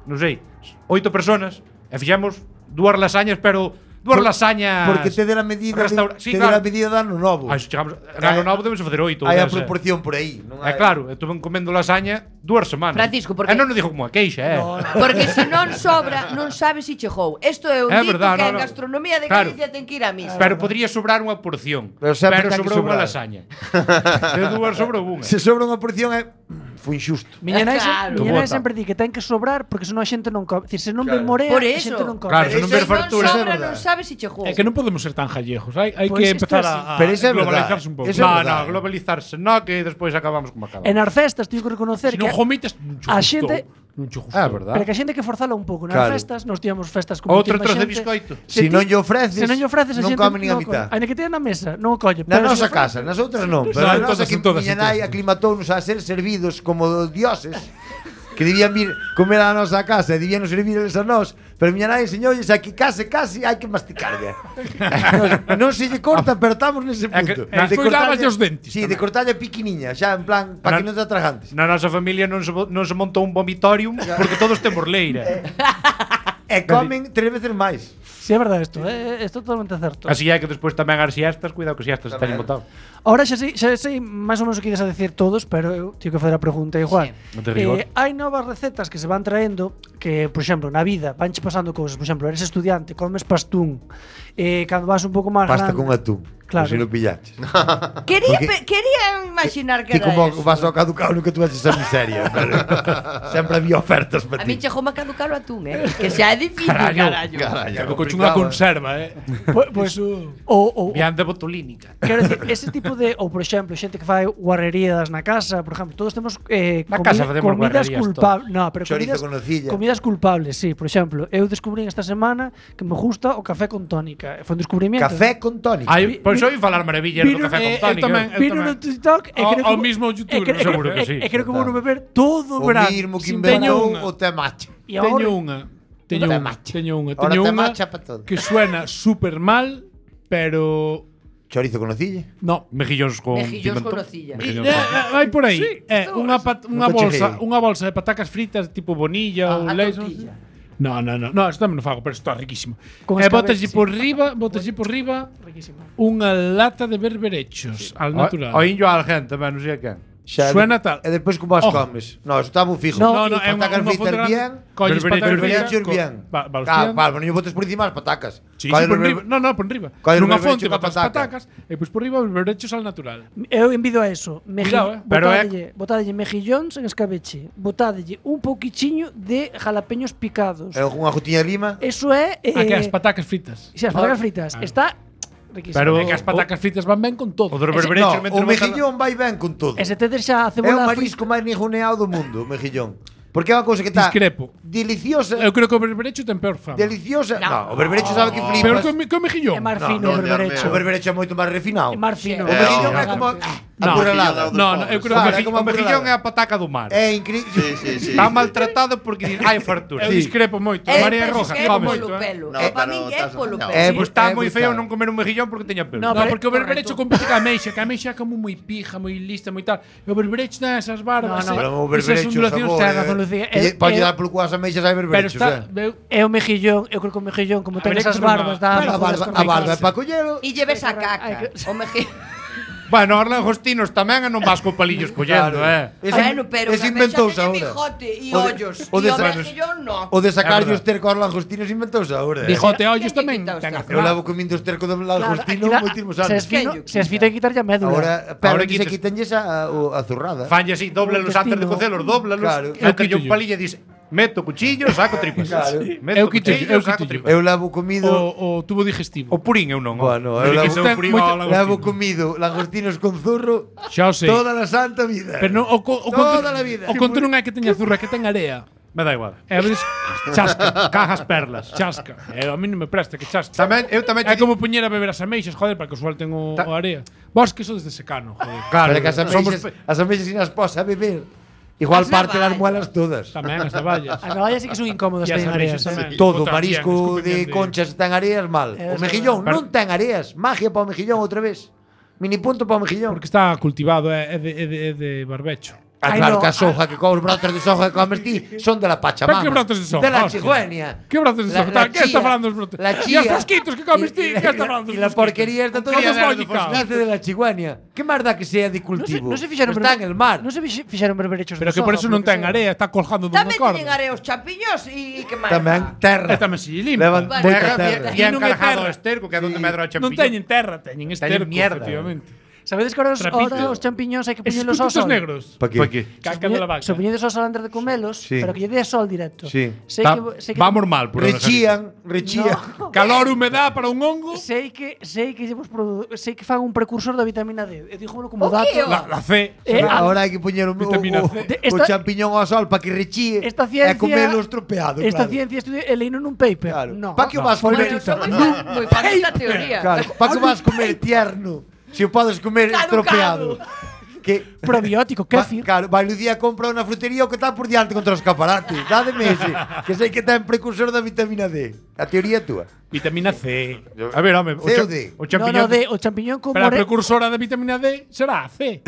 non sei, oito personas e fixemos dúas lasañas, pero dúas Por- lasañas. Porque te dé a medida Restaura- de, sí, te dé claro. a medida de ano novo. Ah, iso chegamos, ano novo debemos facer oito. Hai a dez, eh. proporción por aí, non É hai. claro, estuve comendo lasaña dúas semanas. Francisco, porque- E non nos dixo como a queixa, eh. No, no. Porque se non sobra, non sabes si chegou. Isto é un É dito verdad, que no, en no. gastronomía de Claro. Galicia ten que ir a misa. Pero podría sobrar unha porción. Pero sempre ten que sobrou unha sobrar. lasaña. De dúas sobrou unha. Se sobra unha porción é foi injusto. Miña nai, Claro. miña Como nai bota. sempre di que ten que sobrar porque senón a xente non come. Dicir, se non Claro. ven morea, Por a eso. xente non come. Claro, Pero se non se ver non fartura, é sobra, verdade. non sabes si chegou. É que non podemos ser tan gallejos. Hai, hai Pois que isto empezar é a, a Pero iso é globalizarse verdade. un pouco. Eso é No, verdade. no, globalizarse, no, que despois acabamos como acabamos. E nas festas teño que reconocer Se non que gomitas, non che a gustou. xente- Non che gustou. É verdade. pero que a xente que forzala un pouco nas Claro. festas, nos tíamos festas con Outro moitísima trozo de xente. biscoito. Se ti- non lle ofreces, Se non lle ofreces a non xente come nin a non mitad. colle. Ainda que teña na mesa, non o colle. Na pero se nosa ofrece- casa, nas outras non. Pero No, na en nosa todas, que en todas, miña en nai todas. aclimatounos a ser servidos como dioses. Que debían vir comer a nosa casa e debían servir eles a nós. Pero miña nai enseñoulles a que case, case hai que masticarlle. non, non se lle corta, pero estamos nese É que- punto. e despois cortarlle- lávaslle os dentes Sí, tamén. de cortarlle piquiniña, xa en plan, para que non te atragantes. Na nosa familia non se, bo- non se montou un vomitorium porque todos temos leira. E comen tres veces máis. Sí, é verdade isto, é, é totalmente certo. Así é que despois tamén as siestas, cuidado que siestas se teñen Tamén. botado. Ahora xa sei, xa sei máis ou menos o que ides a decir todos, pero eu teño que facer a pregunta igual. Sí. Non te rigor. Eh, hai novas recetas que se van traendo que, por exemplo, na vida vanche pasando cousas, por exemplo, eres estudiante, comes pastún. Eh, cando vas un pouco máis Pasta grande, con atún. Claro. Claro. Se non pillaches. Quería, Porque- pe- quería imaginar que Ti era como eso. vas ao caducado nunca tuveches esa miseria. Pero sempre había ofertas para A mí ti. chegou a caducar o atún, eh? Que xa é difícil, carallo. Carallo, Coche unha conserva, eh. Pois, pois o, o, Vian de botulínica. quero decir, ese tipo de, ou por exemplo, xente que fai guarrerías na casa, por exemplo, todos temos eh, Na casa facemos comidas guarrerías culpables, no, pero Chorizo comidas, con nocilla. comidas culpables, sí, por exemplo, eu descubrí esta semana que me gusta o café con tónica. Foi un descubrimiento. Café con tónica. Ai, pois oi falar maravillas do Vino- café eh, con eu tónica. tamén, eu Vino no TikTok e Ao- creo ao que- mismo e youtuber, creo- seguro que e- sí. E creo que vou no beber todo o O verano. mismo que sin inventou Teño unha. o temacho. E agora- Teño unha. Teño Te unha. macha. Teño unha. Ahora Teño te unha macha pa todo. que suena super mal, pero Chorizo con nocilla. no. Mejillóns con Mejillóns con pimentón. nocilla. Mejillóns Eh, con- eh, vai por aí. Eh, unha pat- unha Nunca bolsa, cheguei. unha bolsa de patacas fritas tipo bonilla ou A- a leis. tortilla. No, no, no, no, isto tamén non fago, pero isto é riquísimo. Con E escabeche, botaslle sí. por riba, botaslle por riba Riquísimo. unha lata de berberechos al natural. O indio al gente, tamén, non sei a quen. Xa, Suena tal. E despois como as Ojo. comes. No, eso está moi fijo. No, No, no, é unha, patacas unha fritas fonte grande. bien. Colles Berbere- patacas berbere- fritas, Berberechos co- bien. va- va- Claro, hostia. claro, non lle botes por encima as patacas. Sí, Colle sí, por berber- riba. No, no, por riba. Colle Nunha berberecho fonte coa botas pataca. patacas e pois por riba berberechos al natural. Eu envido a eso. Meji, Cuidado, eh. Pero é- botádelle, botádelle mejillóns en escabeche. Botádelle un pouquichiño de jalapeños picados. E unha gotiña de lima. Eso é... Eh, Ah, que as patacas fritas. Si, as patacas fritas. Ah. Está riquísimo. Pero- É que as patacas fritas van ben con todo. O dos Ese- berberechos No, mentre o bota- mejillón vai ben con todo. E se tedes xa a É o cebola marisco máis nijoneado do mundo, o mejillón. Porque é unha cousa que está Discrepo. deliciosa. Eu creo que o berberecho ten peor fama. Deliciosa. No. No, o berberecho sabe que Peor flipas. que o, me- que o mejillón. É máis No, fino no, o berberecho. O berberecho é moito máis refinado. É máis fino. O É, mejillón oh, é como No, aburrelada. No, no, eu creo Claro, que é como O mejillón é aburrelada. a pataca do mar. É increíble. Sí, sí, sí. Está maltratado porque din, hai fartura. eu discrepo moito. É, María penso Roja, que é come polo moito, eh. pelo. No, É pa pero min é estás polo engañado. pelo. É, Pois está É moi feo brutal. non comer un mejillón porque teña pelo. No, No, pero- porque o berberecho correcto. compite ca ameixa, que a ameixa é como moi pija, moi lista, moi tal. E o berberecho ten esas barbas, No, no. eh, Pero o esas berberecho, ondulacións. sabor, ten eh, razón, Lucía. que lle- Eh, Pode eh, dar polo cuas ameixas hai Pero berberechos, está, eh. veu, É o mejillón, eu creo que o mejillón, como ten Habría que esas facer unha- barbas, dá A para barba, poder a barba é escorricarse. para collelo. E lleves a Hai caca. que- O mejillón. Bueno, os langostinos tamén e non vas co palillos collendo, eh. Ese, Bueno, pero ese tamén xa inventouse teñen ahora. bigote e O de- ollos. o E de o sa- mexillón no. O de sacar É os tercos aos langostinos inventouse ahora. eh. Bijote e Quen ollos lle tamén quita os ten tercos? Eu azular. levo comindo os tercos do Claro, langostino aquí da- moitísimos se es anos. fino, Quen lle se es fino hai que quitarlle a médula. Ahora, pero Ahora que se quitas- quitenlles a, a, a zurrada. Fanlle así, doblalos antes de intestino. cocelos, doblalos. Claro. Eu Mételle un quito palillo e dis, meto cuchillo, saco tripas. Claro. Meto Eu quito- cuchillo, eu saco quito- tripas. Eu levo comido O, o tubo digestivo. O purín eu non. Bueno, eu eu levo levo- o purín moito- ao langostino. levo comido langostinos con zurro Xa o sei. toda a santa vida. Pero non, o, co- o Toda conto, la vida. o conto non é que teña zurra, é que ten area. Me da igual. E a veces chasca, Cajas perlas. chasca. E a mí non me presta que chasca. Tamén, eu tamén É te como poñer a beber as ameixas, joder, para que o suelten o, Ta- o area. Vos que sodes de secano, joder. Claro, Pero que as somos ameixas, as ameixas sin as pos a beber. Igual As parte las navallas. muelas todas. Tamén as navallas. As navallas sí que son incómodas E as para ameixas areas. tamén. Todo, Botan bien, marisco escupen de bien de- conchas ten areas mal. Eso O mejillón é. non ten areas. Magia para o mejillón outra vez. Mini punto para o mejillón. Porque está cultivado, é, é, de, é, de, é de barbecho. Ah, Ai, claro no, que a soja, que con os brotes de soja que comes ti son de la Pachamama. Pero que brotes de soja, De la hostia. Chigüenia. Que brotes de La- soja? la ¿Qué está chía, falando dos brotes? La E os chía. fosquitos que comes ti? Y- Que está falando dos Y la fosquitos? porquería está todo Todos nace lógica. nace de la Chigüenia. ¿Qué más da que sea de No se, cultivo? no se fixeron Está en el mar. No se fix- fixeron berberechos Pero de que por soja, eso non porque ten sea. area, está colgando dunha Tamén corda. teñen areos champiños e que máis. Tamén terra. E tamén se limpa. Levan Bueno, moita terra, terra. E non é encarjado terra. o esterco, que é onde medra o Non champiñón. teñen terra, teñen esterco, mierda. efectivamente. Sabedes que ahora os, Trapito. ahora os champiñóns hai que Esos poñelos ao puntos sol. negros. Pa que? Pa que? Caca de la vaca. Se poñedes ao sol antes de comelos, Sí. pero que lle dé sol directo. Sí. Sei Ta- que, sei que Vamos mal, por Rechían, rechían. No. Calor, humedad para un hongo. Sei que sei que llevos produ- sei que fan un precursor da vitamina D. E dígomelo como O dato. que, o? La, la C. Eh, será- Ahora hai que poñer o, o, Vitamina o, C. De- o esta- champiñón ao sol para que rechíe Esta ciencia e comelo estropeado. Esta claro. ciencia estudia e leíno nun paper. Claro. No. Pa que o vas Foi comer? Pero son moi fan, moi fan desta teoría. Claro, para que vas comer tierno? Se o podes comer Caducado. estropeado. Que Probiótico, Va, kéfir. claro, vai Lucía compra unha frutería o que está por diante contra os escaparate. Dádeme ese, que sei que ten precursor da vitamina D. A teoría é túa. Vitamina C. A ver, home, o, C cha- ou D? o No, champiñón. no, de o champiñón con Pero a more... precursora de vitamina D será a C.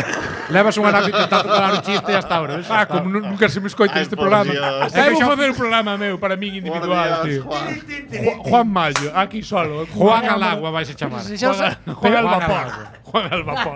Levas unha nave intentando dar un chiste hasta ahora. ¿ves? Ah, como nu- nunca se me escoita Ai, este por programa. Dios. Eh, vou facer un programa meu para mí individual, Por Dios, tío. Juan. Ju- Juan Mayo, aquí solo. Juan al agua vais a chamar. Se xa os- Juan, Juan al Juan al vapor. agua. Juan al vapor.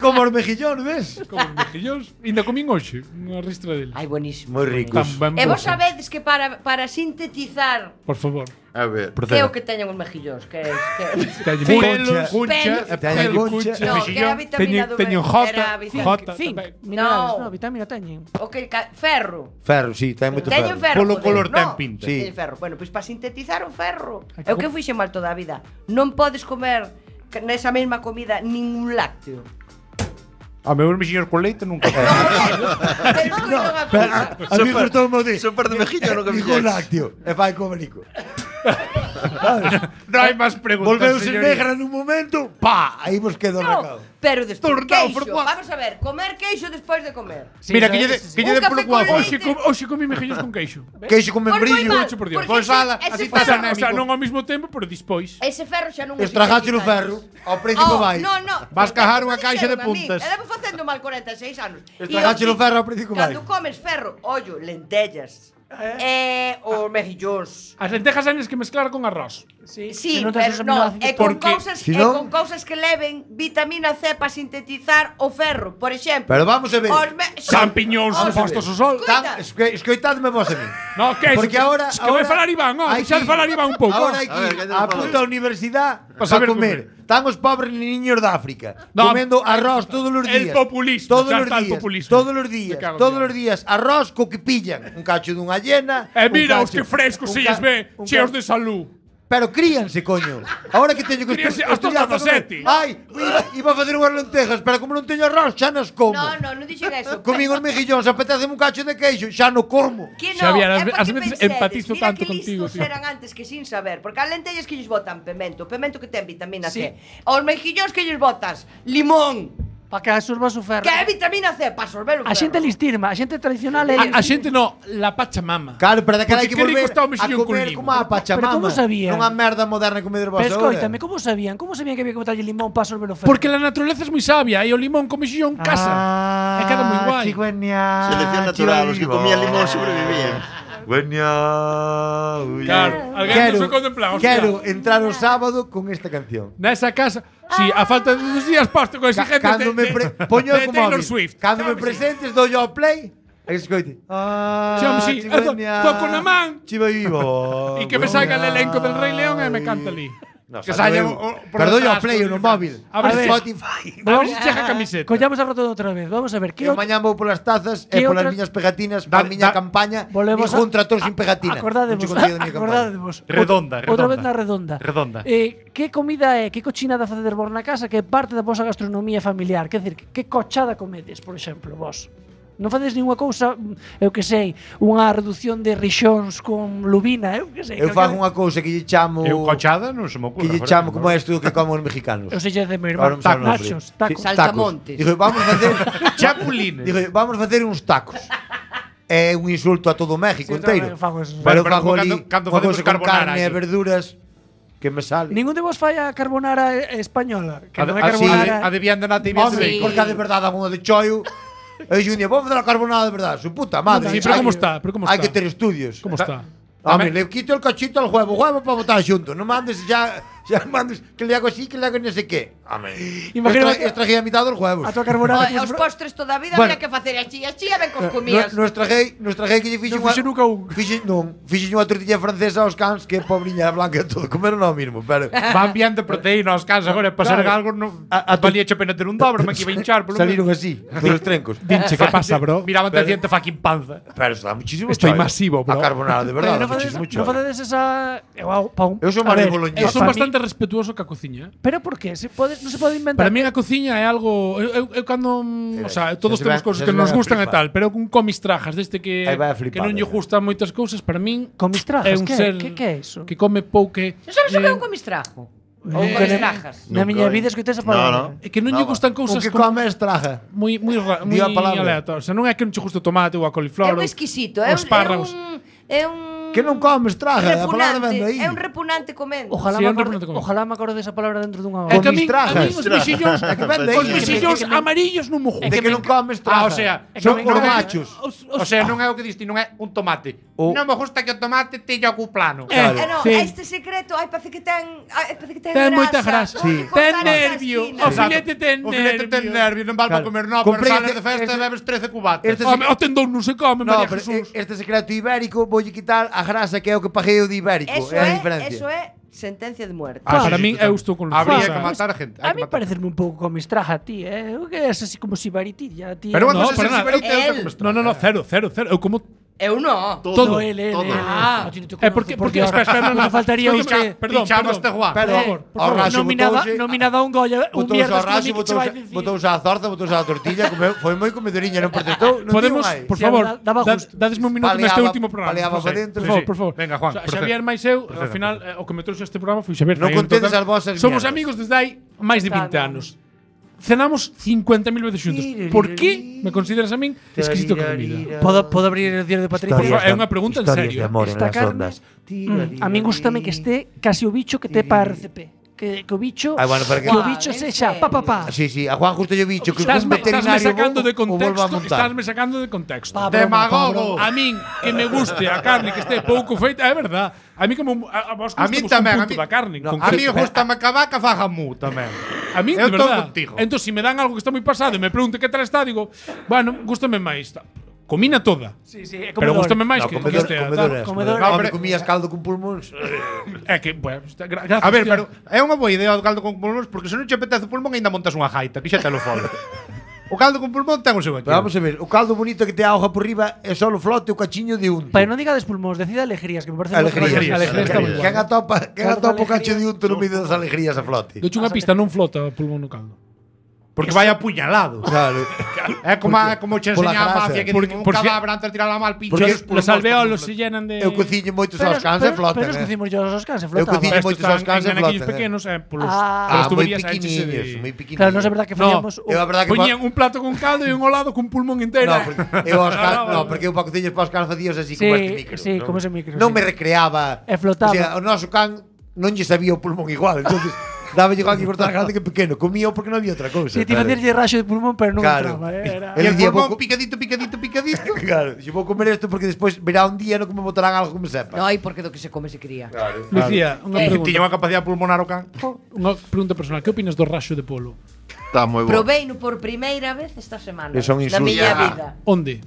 Como os mejillóns, ves? Como os mexillóns. Ainda comín hoxe unha ristra dele. Ai, buenísimo. Moi ricos. Tan ben E vos bo. sabedes que para, para sintetizar Por favor. A ver. que é o que teñen os mexillóns, que é que Teñen Concha. pelos, Cuncha, Pelos. Teñen pelo, concha. cuncha, No, que era a vitamina teñen, do teñen me- J, era a vitamina- J, Zinc, tamén. minerales, No. no, vitamina teñen. o que ca- ferro. Ferro, sí, ten moito Teñen ferro. ferro. Polo joder, color no. ten pinta. Sí. Teñen ferro. Bueno, pois para sintetizar o ferro. É o que fixen mal toda a vida. Non podes comer que nesa mesma comida ningún lácteo. A meus mexillóns con leite nunca. Pero escoito unha cousa. A mí gustou o de Super de mejillo, no que Dijo fixeches. lácteo. E fai como nico. Non hai máis preguntas, Volveuse señoría. negra nun momento, pa, aí vos quedo o recado. No, pero despois Tornado queixo. formado. Vamos a ver, comer queixo despois de comer. Sí, Mira, eso que lle é- de, sí, sí. que lle Un de polo café con guapo. leite. Hoxe, com, hoxe comí mexillóns con queixo. Queixo con Pois moi membrillo. mal, por Dios. porque Pois ese- ala, ese así O estás sea, ferro- o sea, non ao mesmo tempo, pero dispois. Ese ferro xa non o Estragaste o sintetizas. ferro, ao príncipe Oh, vai. no, no. Vas porque cajar como unha caixa de dixeron a min, puntas. E levo facendo mal corenta e seis anos. Estragaste o ferro ao príncipe vai. Cando comes ferro, ollo, lentellas, eh, os mexillóns. As lentejas hai que mezclar con arroz. Sí, Sí, se non tes pero os no, aminoácidos. e con porque cousas si e non- con cousas que leven vitamina C para sintetizar o ferro, por exemplo. Pero vamos a ver. Os me... Champiñóns Os- postos ao sol. Escoita. Tan, esque, escoitadme vos a mí. No, que Porque eso, ahora- es que vai ahora falar Iván, oh, hai deixa de que- falar Iván un pouco. Ahora hai A ver, que que ir a nos puta universidade Pa para saber comer. Están os pobres niños de África No, comendo arroz todos os el días. populismo, todos xa os está el días. populismo. Todos os Me días, cago en todos Dios. os días arroz co que pillan, un cacho dunha hiena. E un mira os cacho- que frescos un se ca- lles ve, un cheos ca- de salud. Pero críanse, coño. Ahora que teño que Críanse estu- hasta os estudiar para comer. dezasete. Ai, iba, iba a facer unhas lentejas, pero como non teño arroz, xa nas como. No, no, non dixen eso. Comín os mejillóns, apetece un cacho de queixo, xa no como. Que no, Xavier, ás é ve- porque ás veces pensedes, empatizo mira tanto que contigo, listos tío. eran antes que sin saber, porque as lentellas que lles botan pemento, pemento que ten vitamina Sí. C. Aos mexillóns que lles botas limón, Para que absorba o ferro. que é vitamina C para absorber o ferro. A xente listirma, a xente tradicional é A, a xente no, la Pachamama. Claro, pero daquela hai Porque que que rico volver está o a mexillón con comer limo. como a Pachamama. Pero como sabían? Non a merda moderna que comedes vos Pero ahora. escoítame, como sabían? Como sabían que había que botarlle limón para absorber o ferro? Porque la naturaleza es moi sabia e o limón con mexillón casa. Ah, E queda moi guai. Chigüeña, Selección natural, os que comían limón sobrevivían. Chigüeña, uy. Claro, alguén Quero, non se contempla, hostia. quero entrar o sábado con esta canción. Nesa casa, Si, a falta de dos días posto con exigentes Cando me pre... poño de como Taylor móvil. Swift. Cando me presentes dou yo ao play. E que escoite. Ah, Sí, home, sí. chiveña, Toco na man. Chiva vivo. E que me salga el elenco del Rei León e me canta ali. No, Que sabe saia eu. o- o- por Pero dou yo ao detrás, play con no el móvil. A ver, Spotify. A ver se chega a camiseta. Collamos a rotonda outra vez. Vamos a ver, que Eu outro- mañá vou polas tazas Que e polas outra- miñas pegatinas Da- para a miña da- campaña Volvemos ningún a- trator sin pegatina. Acordadevos, Mucho contigo da miña campaña. acordadevos. Redonda, Outra redonda. vez na redonda. Redonda. Eh, que comida é, que cochinada facedes vos na casa que é parte da vosa gastronomía familiar? Quer dizer, que cochada comedes, por exemplo, vos? Non facedes ninguna cousa, eu que sei, unha reducción de rixóns con lubina, eu que sei. Eu que- fago unha cousa que lle chamo Eu cochada non se me ocurre. que lle chamo como isto que como os mexicanos. Eu sei de meu Ahora irmán, non me sabe o nombre. nachos, Sí, tacos. Saltamontes. Digo, vamos facer Chapulines. Digo, vamos facer uns tacos. É un insulto a todo o México Sí, enteiro. tamén fago eso. Pero Bueno, pero fago ali cando- cando unha facemos cousa con carbonara carne e aquí. verduras que me sale. Ningún de vos fai a carbonara eh, española, que A non de- é a- sí, carbonara. a de vianda nata e vianda Hombre, de bacon. porque a de verdade a unha de choio. E Junior, vamos facer a carbonada de verdade. Su puta madre. Sí, pero Hai ¿cómo que- está? ¿Pero cómo Hai está? que ter estudios. Como está? Hombre, le quito el cachito al huevo, huevo para botar xunto. Non mandes ya, ya mandes que le hago así, que le hago no sé qué. Hombre. Imagino Extra- que- extraje a mitad dos huevos. A tua carbonara. O, e os postres toda a vida Bueno. había que facer a chía, chía ben cos No, comías. nos traguei, nos traguei que lle fixo Non fixo nunca un. Fixe, non, fixe unha tortilla francesa aos cans que pobriña blanca todo comeron ao mismo, pero Van viendo proteína aos cans agora para ser Claro. algo non A- a tu- valía che pena ter un dobre, me que iba a hinchar polo saliron así, dos trencos. Dinche, que pasa, bro? Miraban te diente fucking panza. Pero está muchísimo Estoy choio. masivo, bro. A carbonara, de verdade, non facedes, muchísimo non choio. facedes esa eu hago pa un. Eu sou a máis ver, boloñés. Eu pa son mí- bastante respetuoso ca cociña. eh. Pero por qué? Se pode, non se pode inventar. Para mí a cociña é algo eu, eu, eu cando, mm, o sea, todos xa se temos vai- cousas xa que se nos vai a gustan e flipar. tal, pero un comis trajas deste que Aí vai a que flipar, non lle eh. gustan moitas cousas, para min Comis trajas, é un que? ser Que- que é iso? que come pouque. Sabes o que é eh, un comistrajo? Ou Eh, un comistrajas? Na Nunca miña hai. vida escoitei esa No, palabra. no. É que non lle Nada. gustan O cousas que como come estraja. moi moi ra- moi Di a palabra. aleatorias. O sea, non é que non che guste o tomate ou a É coliflor. un ou- exquisito, ou é un, é espárragos. un é un Que non come estraja, a palabra vende aí. repugnante, é un repugnante comendo. Ojalá, Sí, me é un acorde, repugnante común. ojalá me acorde desa palabra dentro dunha É hora. que a min, a Comistrajas. min os mexillóns, É que vende os aí. mexillóns amarillos non me De gustan. que non come estraja. Ah, o sea, É que son me- non os é- machos. Os- os- O sea, non é o que diste, non é un tomate. O- Non me gusta que o tomate teña o cu plano. Claro. Eh, no, Sí. este secreto, ai, parece que ten, ai, parece que ten, Ten grasa. moita grasa. Hai que Sí. cortar Ten esta nervio. esquina. O filete ten O filete ten nervio. nervio, non vale para Claro. comer, no, pero Comprei sales este- de festa este- e bebes trece cubatas. este- Home, o tendón non se come, No, María pero Jesús. e- este secreto ibérico voulle quitar a grasa que é o que paguei o de ibérico. Eso é a é, diferencia. eso é sentencia de muerte. Ah, sí, para sí, min, total. eu estou con Habría Luisa. que matar a gente. hai A que mí matar. parecerme un pouco comistraja a ti, eh? Eu que és así como sibaritilla, ti. Pero eh? unha No, cosa para é nada. sibarita e outra El. como No, no, no, cero, cero, cero. Eu como Eu non. todo. No, ele, ele, todo. ele. Ah. A ti non te É conozco, porque porque ahora- espera, espera, non, non non. faltaría Escoita, usted. Perdón, Pinchamos perdón. este Juan. Pero Eh, ao raso nominada, botouse- nominada a un Goya, un botouse viernes ao raso, con que che botouse, vai dicir. botouse á zorza, botouse á tortilla, comeu, foi moi comedoriña, non protestou, non Podemos, digo máis. por Sí, favor, daba- daba da- gusto. dadesme un minuto neste Paleaba- último programa. paleaba José. pa dentro. Por favor, Sí, sí. por favor. Venga, Juan, O sea, procede. Xavier máis eu, ao Procede. final, eh, o que me trouxe a este programa foi Xavier. Non Fai, en contedes total, as vosas Somos mierdas. amigos desde hai máis de Está, vinte no. anos. Cenamos cincuenta mil veces xuntos. Por que me consideras a min exquisito con comida? Podo, podo abrir el diario de Patricia? Por favor, é unha pregunta en Historias serio. de amor en Esta las carne, ondas. Mm, a min gustame que este casi o bicho que te pa R C P. Que, que o bicho, Ah, bueno, pero que- que o Juan, bicho en sexa serio. pa pa pa. Sí, sí, a Juan justo lle bicho que Estás un me, estás me veterinario sacando bo de o volva a contexto, montar. estás me sacando de contexto. Pa, broma, Demagogo. pa, broma. A min que me guste a carne que este pouco feita, é verdad. A mí como a, a vos A mí gustamos tamén, un a punto mí- da carne. No, con A que- mí gustame que a vaca faga mu tamén. A mí, Eu de estou verdad. contigo. Entón, se me dan algo que está moi pasado e me pregunto que tal está, digo, bueno, gústame máis. Comina toda. Sí, sí, é Pero comedor. gústame máis No, que, que comedor, este. comedoras, comedor. comedor. No, No, pero- comías caldo con pulmóns. É que, bueno, está- gra- gracias. A ver, tía. pero é unha boa idea o caldo con pulmóns porque se non che apetece o pulmón aínda montas unha jaita, que xa te lo fora. O caldo con pulmón ten o seu Pero vamos a ver, o caldo bonito que te auga por riba é só o flote o cachiño de unto. Pero non digades pulmóns, decida alegrías, que me parece Alegrías. Alegrías, moi- alegrías está moi Quen atopa, quen Caldo atopa o con cacho de alegrías. unto no medio das alegrías a flote. Doche unha pista, non flota o pulmón no caldo. Porque vai apuñalado. Claro. É como a, como che Pola enseña a grasa. mafia que Porque- din un por si- cadáver antes de tirar a mal pincho. Porque os pulmóns Los alveolos por se llenan de... Eu cociño moitos Pero, aos cans e pero, flotan. pero os eh. cocimos yo aos cans e Eu flotaban. cociño Estos moitos están aos cans en e anaquillos flotan. pequenos, eh, polos, Ah. polas Ah, moi tuberías aí pequeniños, de... moi pequeniños. Claro, non é verdad que No, fallamos. Eu a verdade que Poñían un plato con caldo e un ao lado cun pulmón inteiro. No, porque eu aos cans, No, no, no, no. porque eu para cociñas para os cans facías así Sí, como este micro. sí, non? como ese micro, Non sí. me recreaba. E flotaba. O sea, o noso can non lle sabía o pulmón igual, entonces Daba igual que cortar grande que pequeno. Comía porque non había outra cousa. Si ti facías raxo de pulmón, pero non Claro. entraba, eh, era. El E o día pulmón vou co- picadito, picadito, picadito. Claro, dixo, vou comer isto porque despois verá un día no que me botarán algo que me sepa. No, hai porque do que se come se cría. Lucía, unha Eh, pregunta. Tiña unha capacidade pulmonar o can. Unha pregunta personal. Que opinas do raxo de polo? Está moi bo. Proveino por primeira vez esta semana. Que son na insultos. miña Ya. vida. Onde?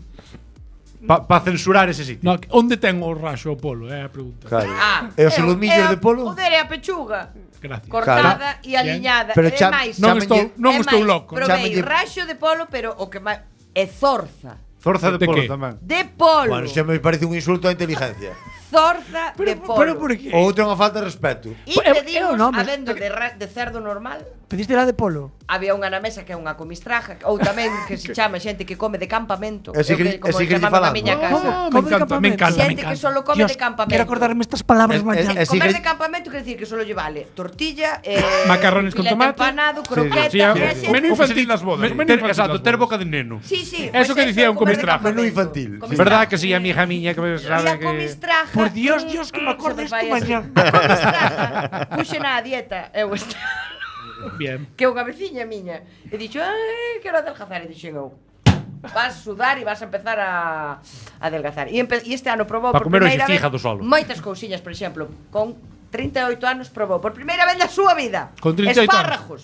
Pa, pa censurar ese sitio. No, onde ten o raxo o polo? É a pregunta. Claro. Ah, E os é o- solomillos é de polo? O dere a pechuga. Gracias. Cortada Claro. e aliñada. Pero é cha- máis. Non Chámanlle- estou, non é estou máis, loco. Provei Chámanlle- raxo de polo, pero o que máis é zorza. Zorza de De polo que? tamén. De polo. Bueno, xa me parece un insulto á inteligencia. Zorza de Pero, polo. pero por que? O outro é unha falta de respeto. E É- é o pedimos, nome. habendo de, ra- de cerdo normal, Pediste la de polo? había unha na mesa que é unha comistraja, ou tamén que se chama xente que come de campamento. Ese é o que- como ese que lle chamaban a falamos. miña casa. ¿Cómo? me Come de encanta, me campamento. encanta, me Xente que encanta. solo come Dios, de campamento. Quero acordarme estas palabras Es- mañana. es- Comer sigue- de campamento quer decir que solo lle vale tortilla, eh, Macarrones con filete tomate. empanado, croqueta, Sí, e a sí. xente- Menú Como se infantil di nas bodas. Men- menú Ter, infantil exacto, nas ter bodas. boca de neno. Sí, sí. Eso que dicía un comer de comistraja. campamento. Menú infantil. Comistraja. Verdad que si a mi hija miña que me E sabe a que comistraja. Por Dios, mm, Dios, que me mm, acordes se fai tú así. mañana. A comistraja. Puxena a dieta. Eu esta. Bien. Que unha veciña miña. E dixo, ai, quero adelgazar. E dixen eu, vas a sudar e vas a empezar a, a adelgazar. E, empe e este ano probou Pa por comer hoxe primeira vez fígado solo. moitas cousiñas, por exemplo, con trinta e oito anos probou por primeira vez na súa vida Con trinta e oito anos. espárragos.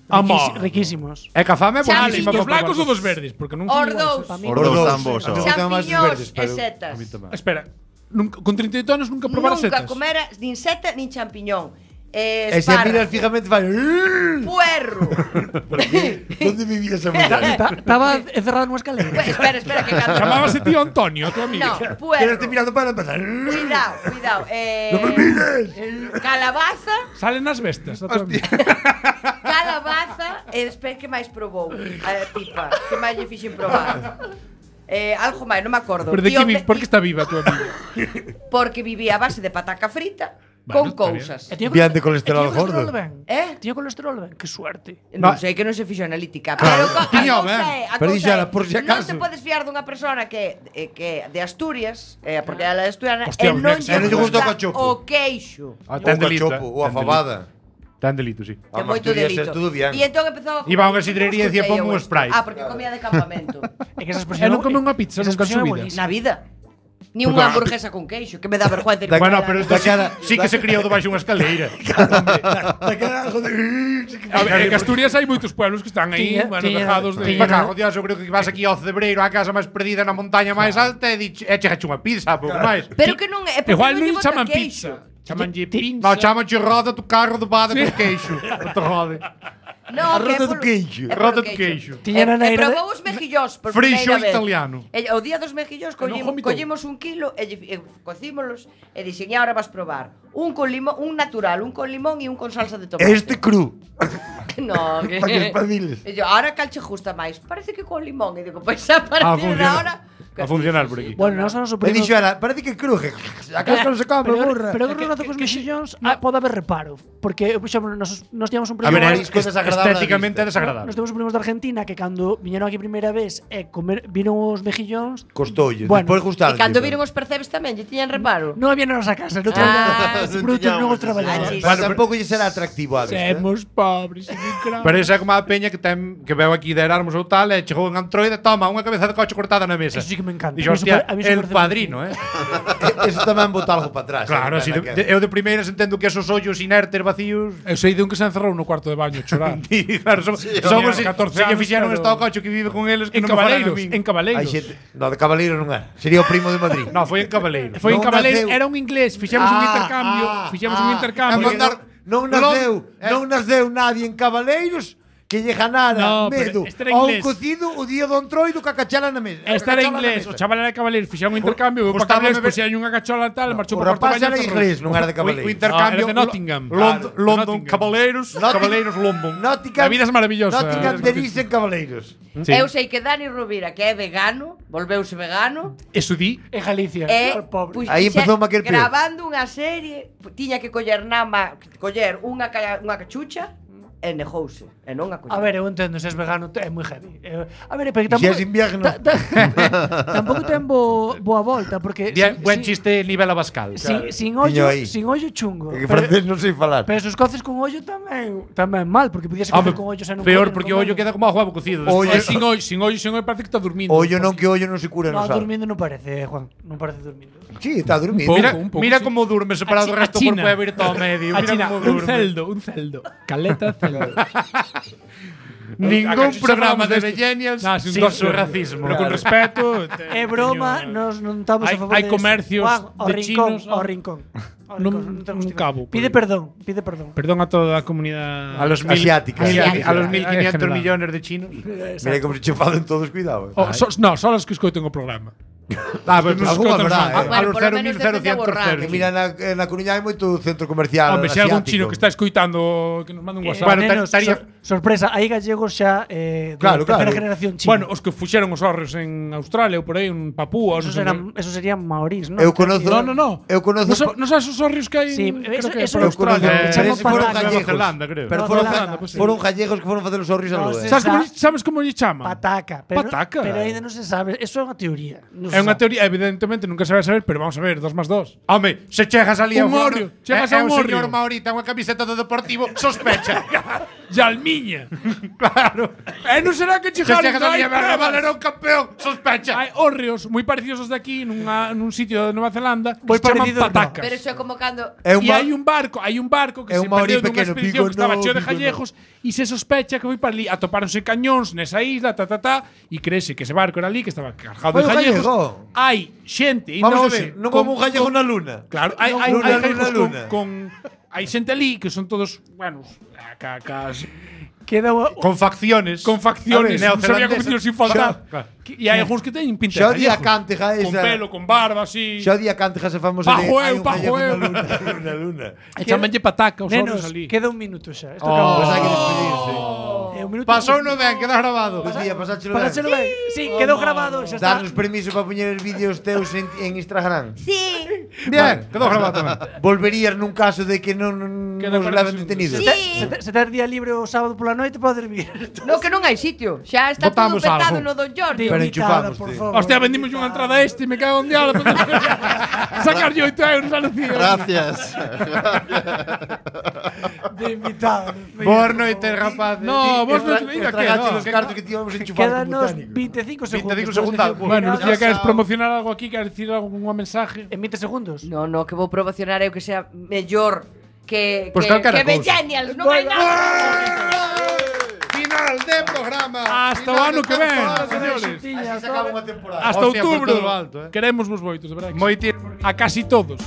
Riquísi- Amor. riquísimos. É que a fame é Xa, Vale, buenísima. dos Champiñones. blancos ou dos verdes? Porque non son Ordous, Pa mí Os dous tan bos. A mí ó. me gustan máis os champiñóns verdes, e pero- setas. A mí tamén. Espera, nunca, con trinta e oito anos nunca probar Nunca setas. comera nin seta nin champiñón. Eh, E se a miras espárrago, fijamente vai. puerro. Onde vivía esa muller? Estaba encerrado nunha escalera. Pues, espera, espera, que cando... Chamábase tío Antonio, a tu amigo. No, Quedaste puerro. mirando para empezar. Cuidado, cuidado. Eh, ¡No me mires! Calabaza, Salen nas bestas, a tu amigo. calabaza e despois que máis probou a tipa, que máis lle fixen probar. Eh, algo máis, non me acordo. Pero de E que o vi, te- por que está viva a tu amigo? Porque vivía a base de pataca frita Bueno, con está cousas. E tiña Bien de cole- colesterol e tiña colesterol gordo. ben. Eh? Tiña colesterol ben, que suerte. Non No. sei que non se fixo analítica, pero co- a Tiña, cousa ben. é, a Pero cousa dixera, é, por si non acaso. te podes fiar dunha persona que eh, que de Asturias, eh, porque ela é asturiana, Hostia, e un non ex- lle e non lle gusta o gusta cachopo. o queixo. Ah, Ou ten o delito. cachopo, eh. ou a Ten fabada. Ten delito, sí. Que Home, moito Asturias é delito. todo bien. E entón empezou a Iba a unha sidrería e dicía, Escoitei "Ponme eu un isto". Sprite. Ah, porque comía de campamento. É que esa E expresión non come unha pizza esa nunca en expresión su é vida. buenísima. Na vida. Ni Porque unha a- hamburguesa con queixo, que me dá vergüenza. Bueno, pero Da sí, cara- sí que se criou debaixo unha escaleira. Daquela algo de. A ver, en Asturias hai moitos pueblos que están aí, Tiña- bueno, tiña- dejados de... tiña- Pa cago, Dios, eu creo que vas aquí ao Cebreiro, á casa máis perdida na montaña máis alta e diche, e chegache unha pizza, pouco máis. Pero que non é, porque Igual non lle non bota chaman queixo. pizza. Chamanlle Ti- pinza. No, chámanche roda tu carro de bada con queixo. Non te rode. No, A que é rota do polo- queixo. é polo Rota do queixo. Tiña E, na e neira de- probou os mejillóns por Frixo primeira vez. italiano. E, o día dos mejillóns collimos, vomitou. collimos un kilo e, lle- e cocímolos e dixen, e agora vas probar un con limón, un natural, un con limón e un con salsa de tomate. Este cru. No, que... Pa que espabiles. E yo, ahora cal che gusta máis? Parece que con limón. E digo, pois a A partir de funcionar. ahora... A funcionar por aquí. Bueno, nós nos Me suprimos. dixo ela, parece que cru. que A casca non se come, Pero, burra. pero que relato cos mexillóns ah, pode haber reparo. Porque, por exemplo, nos, nos tíamos un A primo... ver, é marisco desagradable estéticamente é da desagradable. Nos temos un primos de Argentina que cando viñeron aquí primeira vez e comer, viron os mexillóns, Costoulle. Bueno, Despois gustar. E cando viron os percebes tamén, lle tiñan reparo. non había na nosa casa, non Ah, traballaban, os produtos non os traballaban. Ah, sí. Pero tampouco lle será atractivo a vista. Semos pobres, sin crao. Pero esa é como a peña que ten que veu aquí de Erasmus ou tal, e chegou en Android, toma, unha cabeza de coche cortada na mesa. Eso sí que me encanta. Dixo, A mí hostia, eso pa- a mí eso el parece padrino, eh. Eso tamén bota algo para atrás. Claro, eh, así de, naquela. de, eu de primeiras entendo que esos ollos inertes vacíos. Eu sei de un que se encerrou no cuarto de baño chorando. Y claro, son, Sí, son tiña os catorce se lle anos, fixeron pero- este ao coche que vive con eles que En non me falan a Cabaleiros, min. en Cabaleiros. Hai xente, no, de Cabaleiro non é. Sería o primo de Madrid. No, foi en Cabaleiro. Foi en Non Cabaleiros, naceu. era un inglés, fixemos un Ah, intercambio, ah, fixemos ah, un intercambio. a mandar- Non Lon- naceu, eh. non naceu nadie en Cabaleiros que lle ganara No, pero medo este era a un inglés. cocido o día do entroido ca cachala na mesa. Esta era Cachala na inglés, mesa. o chaval era de Cabaleiros, fixeron un intercambio, veu para Gustábame Cabaleiros, ver- puxeron unha cachola tal, marchou O para rapaz Porto era Baño, inglés, non era de O, o Cabaleiros. intercambio No, era de Nottingham. London, Claro, de London Nottingham. Cabaleiros, Nottingham. Cabaleiros London. Nottingham, La vida es maravillosa. Nottingham de Nis en Cabaleiros. Sí. Eu sei que Dani Rovira, que é vegano, volveuse vegano, Eso di, En Galicia, e o pobre. pux- Aí xa- empezou a querer peor. grabando unha serie, pu- tiña que coller nama, coller unha ca- unha cachucha e negouse, e non a A ver, eu entendo, se és vegano é moi heavy. Eh, A ver, pero que Se tampouco és invierno. ta- ta- tampouco ten bo, boa volta porque Bien, si- buen si- chiste nivel Abascal. Sin, sin Tiño ollo, aí. sin ollo chungo. Que Pero, francés non sei falar. pero se os coces con ollo tamén tamén mal, porque podías cocer Home, con ollo sen un peor cocer, porque non o ollo comemos. queda como a huevo cocido. Ollo- Eh, sin ollo, sin ollo, sin ollo parece que está durmindo. Ollo non que ollo non se cura, No, non sabe. durmindo non parece, Juan, non parece durmindo. Sí, está durmindo. Un Mira, pouco, un pouco, mira sí. como durme separado do A resto do China. corpo e abrir todo ao medio. A Mira China, como un durme. celdo, un celdo. Caleta celdo. Ningún Acaso programa falamos de desto. Millennials Nah, sin, sin dos- su racismo. Pero con respeto. te- É broma, teño- nos non estamos Hai- a favor hai de comercios Juan, ao de rincón, chinos, ao ah. rincón. Ao Nun- rincón, non te nun justifica. cabo, Pide por- perdón, pide perdón. Perdón a toda a comunidade A los mil, Asiática. mil- Asiática. a los mil quinientos En general. millones de chinos. Mira como se che falan todos, cuidado. Oh, so, no, son os que escoiten o programa. Ah, pues, Nos algunha escoitan haberá, os- eh. a, a Bueno, los por lo menos cero mil defende a borrar. Que mira, na, na Coruña hai moito centro comercial Hombre, se hai algún asiático. chino que está escoitando que nos mande un Eh, WhatsApp. Bueno, nenos, estaría- sor- sorpresa, hai gallegos xa eh, de Claro, terceira claro. generación china. Bueno, os que fuxeron os hórreos en Australia ou por aí, en Papúa, esos, non sei eran, onde. esos serían maorís, ¿no? Eu conozo- No, no, no. Eu conozo Non sa- pa- non sabes os hórreos que hai Sí, en, eso- creo que eso por eu Australia. conozco, Eh, pero ese foron Nueva gallegos. Zelanda, creo. Pero Nueva foron, Zelanda, ga- pues sí. foron gallegos que foron facer os horrios a No, luz. se eh. Sabes como, Esa- sabes como lle chaman? Pataca. Pero, Pataca. Pero ainda non se sabe. Eso é unha teoría. Non se É unha sabe. teoría, evidentemente nunca se vai saber, pero vamos a ver, dos más dos. Home, se chegas ali Un ao orrio, fondo, chegas é, a un é un señor orrio. maorita unha camiseta do Deportivo, sospecha. Yalmiña. Claro. E non será que Se chegaron chegas ali a ver a pruebas. Valerón campeón, sospecha. Hai hórreos moi parecidos aos de aquí nunha, nun sitio de Nova Zelanda que Moi se chaman parecidos, no. patacas. Pero iso é como cando É un E ma- hai un barco, hai un barco que É se un maorí perdeu nunha pequeno, expedición pico que estaba no, cheo de pico jallejos e se sospecha que foi para ali, atopáronse cañóns nesa isla, ta ta ta, e creese que ese barco era ali que estaba cargado de Foi un jallejos. gallego. Hai xente, ainda Vamos a hoxe, ver, non con- como un gallego con- na luna. Claro, hai hai Luna, hai luna, gallegos con, luna. con hai xente ali que son todos, bueno, ca, cas, Queda unha- Con facciones. con facciones, A ver, non sabía como neozelandesa. dicirlo sin faltar. Claro. Que- E hai algúns que teñen pinta Xa o de día gallegos. cánteja Con esa. pelo, con barba, así. Xa o día cánteja se famosa Pajo de eu, hai un pajo gallego eu. na luna, na luna. E chamanlle pataca os Nenos, horros ali. queda un minuto xa. Isto Oh. acabou. Pois hai que despedirse. É un minuto. Pasou no ben, queda grabado. Buen día, pasáchelo Para ben. serlo ben. Sí, quedou grabado, xa está. Darnos permiso para poñer vídeos teus en, en Instagram. Sí. Bien, quedou grabado tamén. Volverías nun caso de que non, non Que nos non leven parece- detenidos. Sí. Se, te- se tes día libre o sábado pola noite, podes vir. No, que non hai sitio. Xa está Botamos todo petado algo. no Don Jordi. Pero Invitada, enchufamos, por tío. favor. Hostia, vendimos unha entrada a este e me cago en diablo. Sacar yo oito euros a Lucía. Gracias. De invitado. Boas noites, rapaz. No, vos non Estra- venga que estragaste no. os cartos que tíamos enchufados con Quédanos botánico. veinticinco segundos. veinticinco Puedes segundos. decir- Bueno, Mira, Lucía, queres chao. promocionar algo aquí? Queres decir algún mensaje? En veinte segundos. No, no, que vou promocionar eu que sea mellor que Pois que, calquera que cousa. Millennials, non hai nada. Final de programa. Hasta o ano que ven, señores. Así se acaba unha temporada. Hasta Hostia, por outubro. todo lo alto, eh. Queremos vos moitos, de verdade. que Moi sí. A casi todos.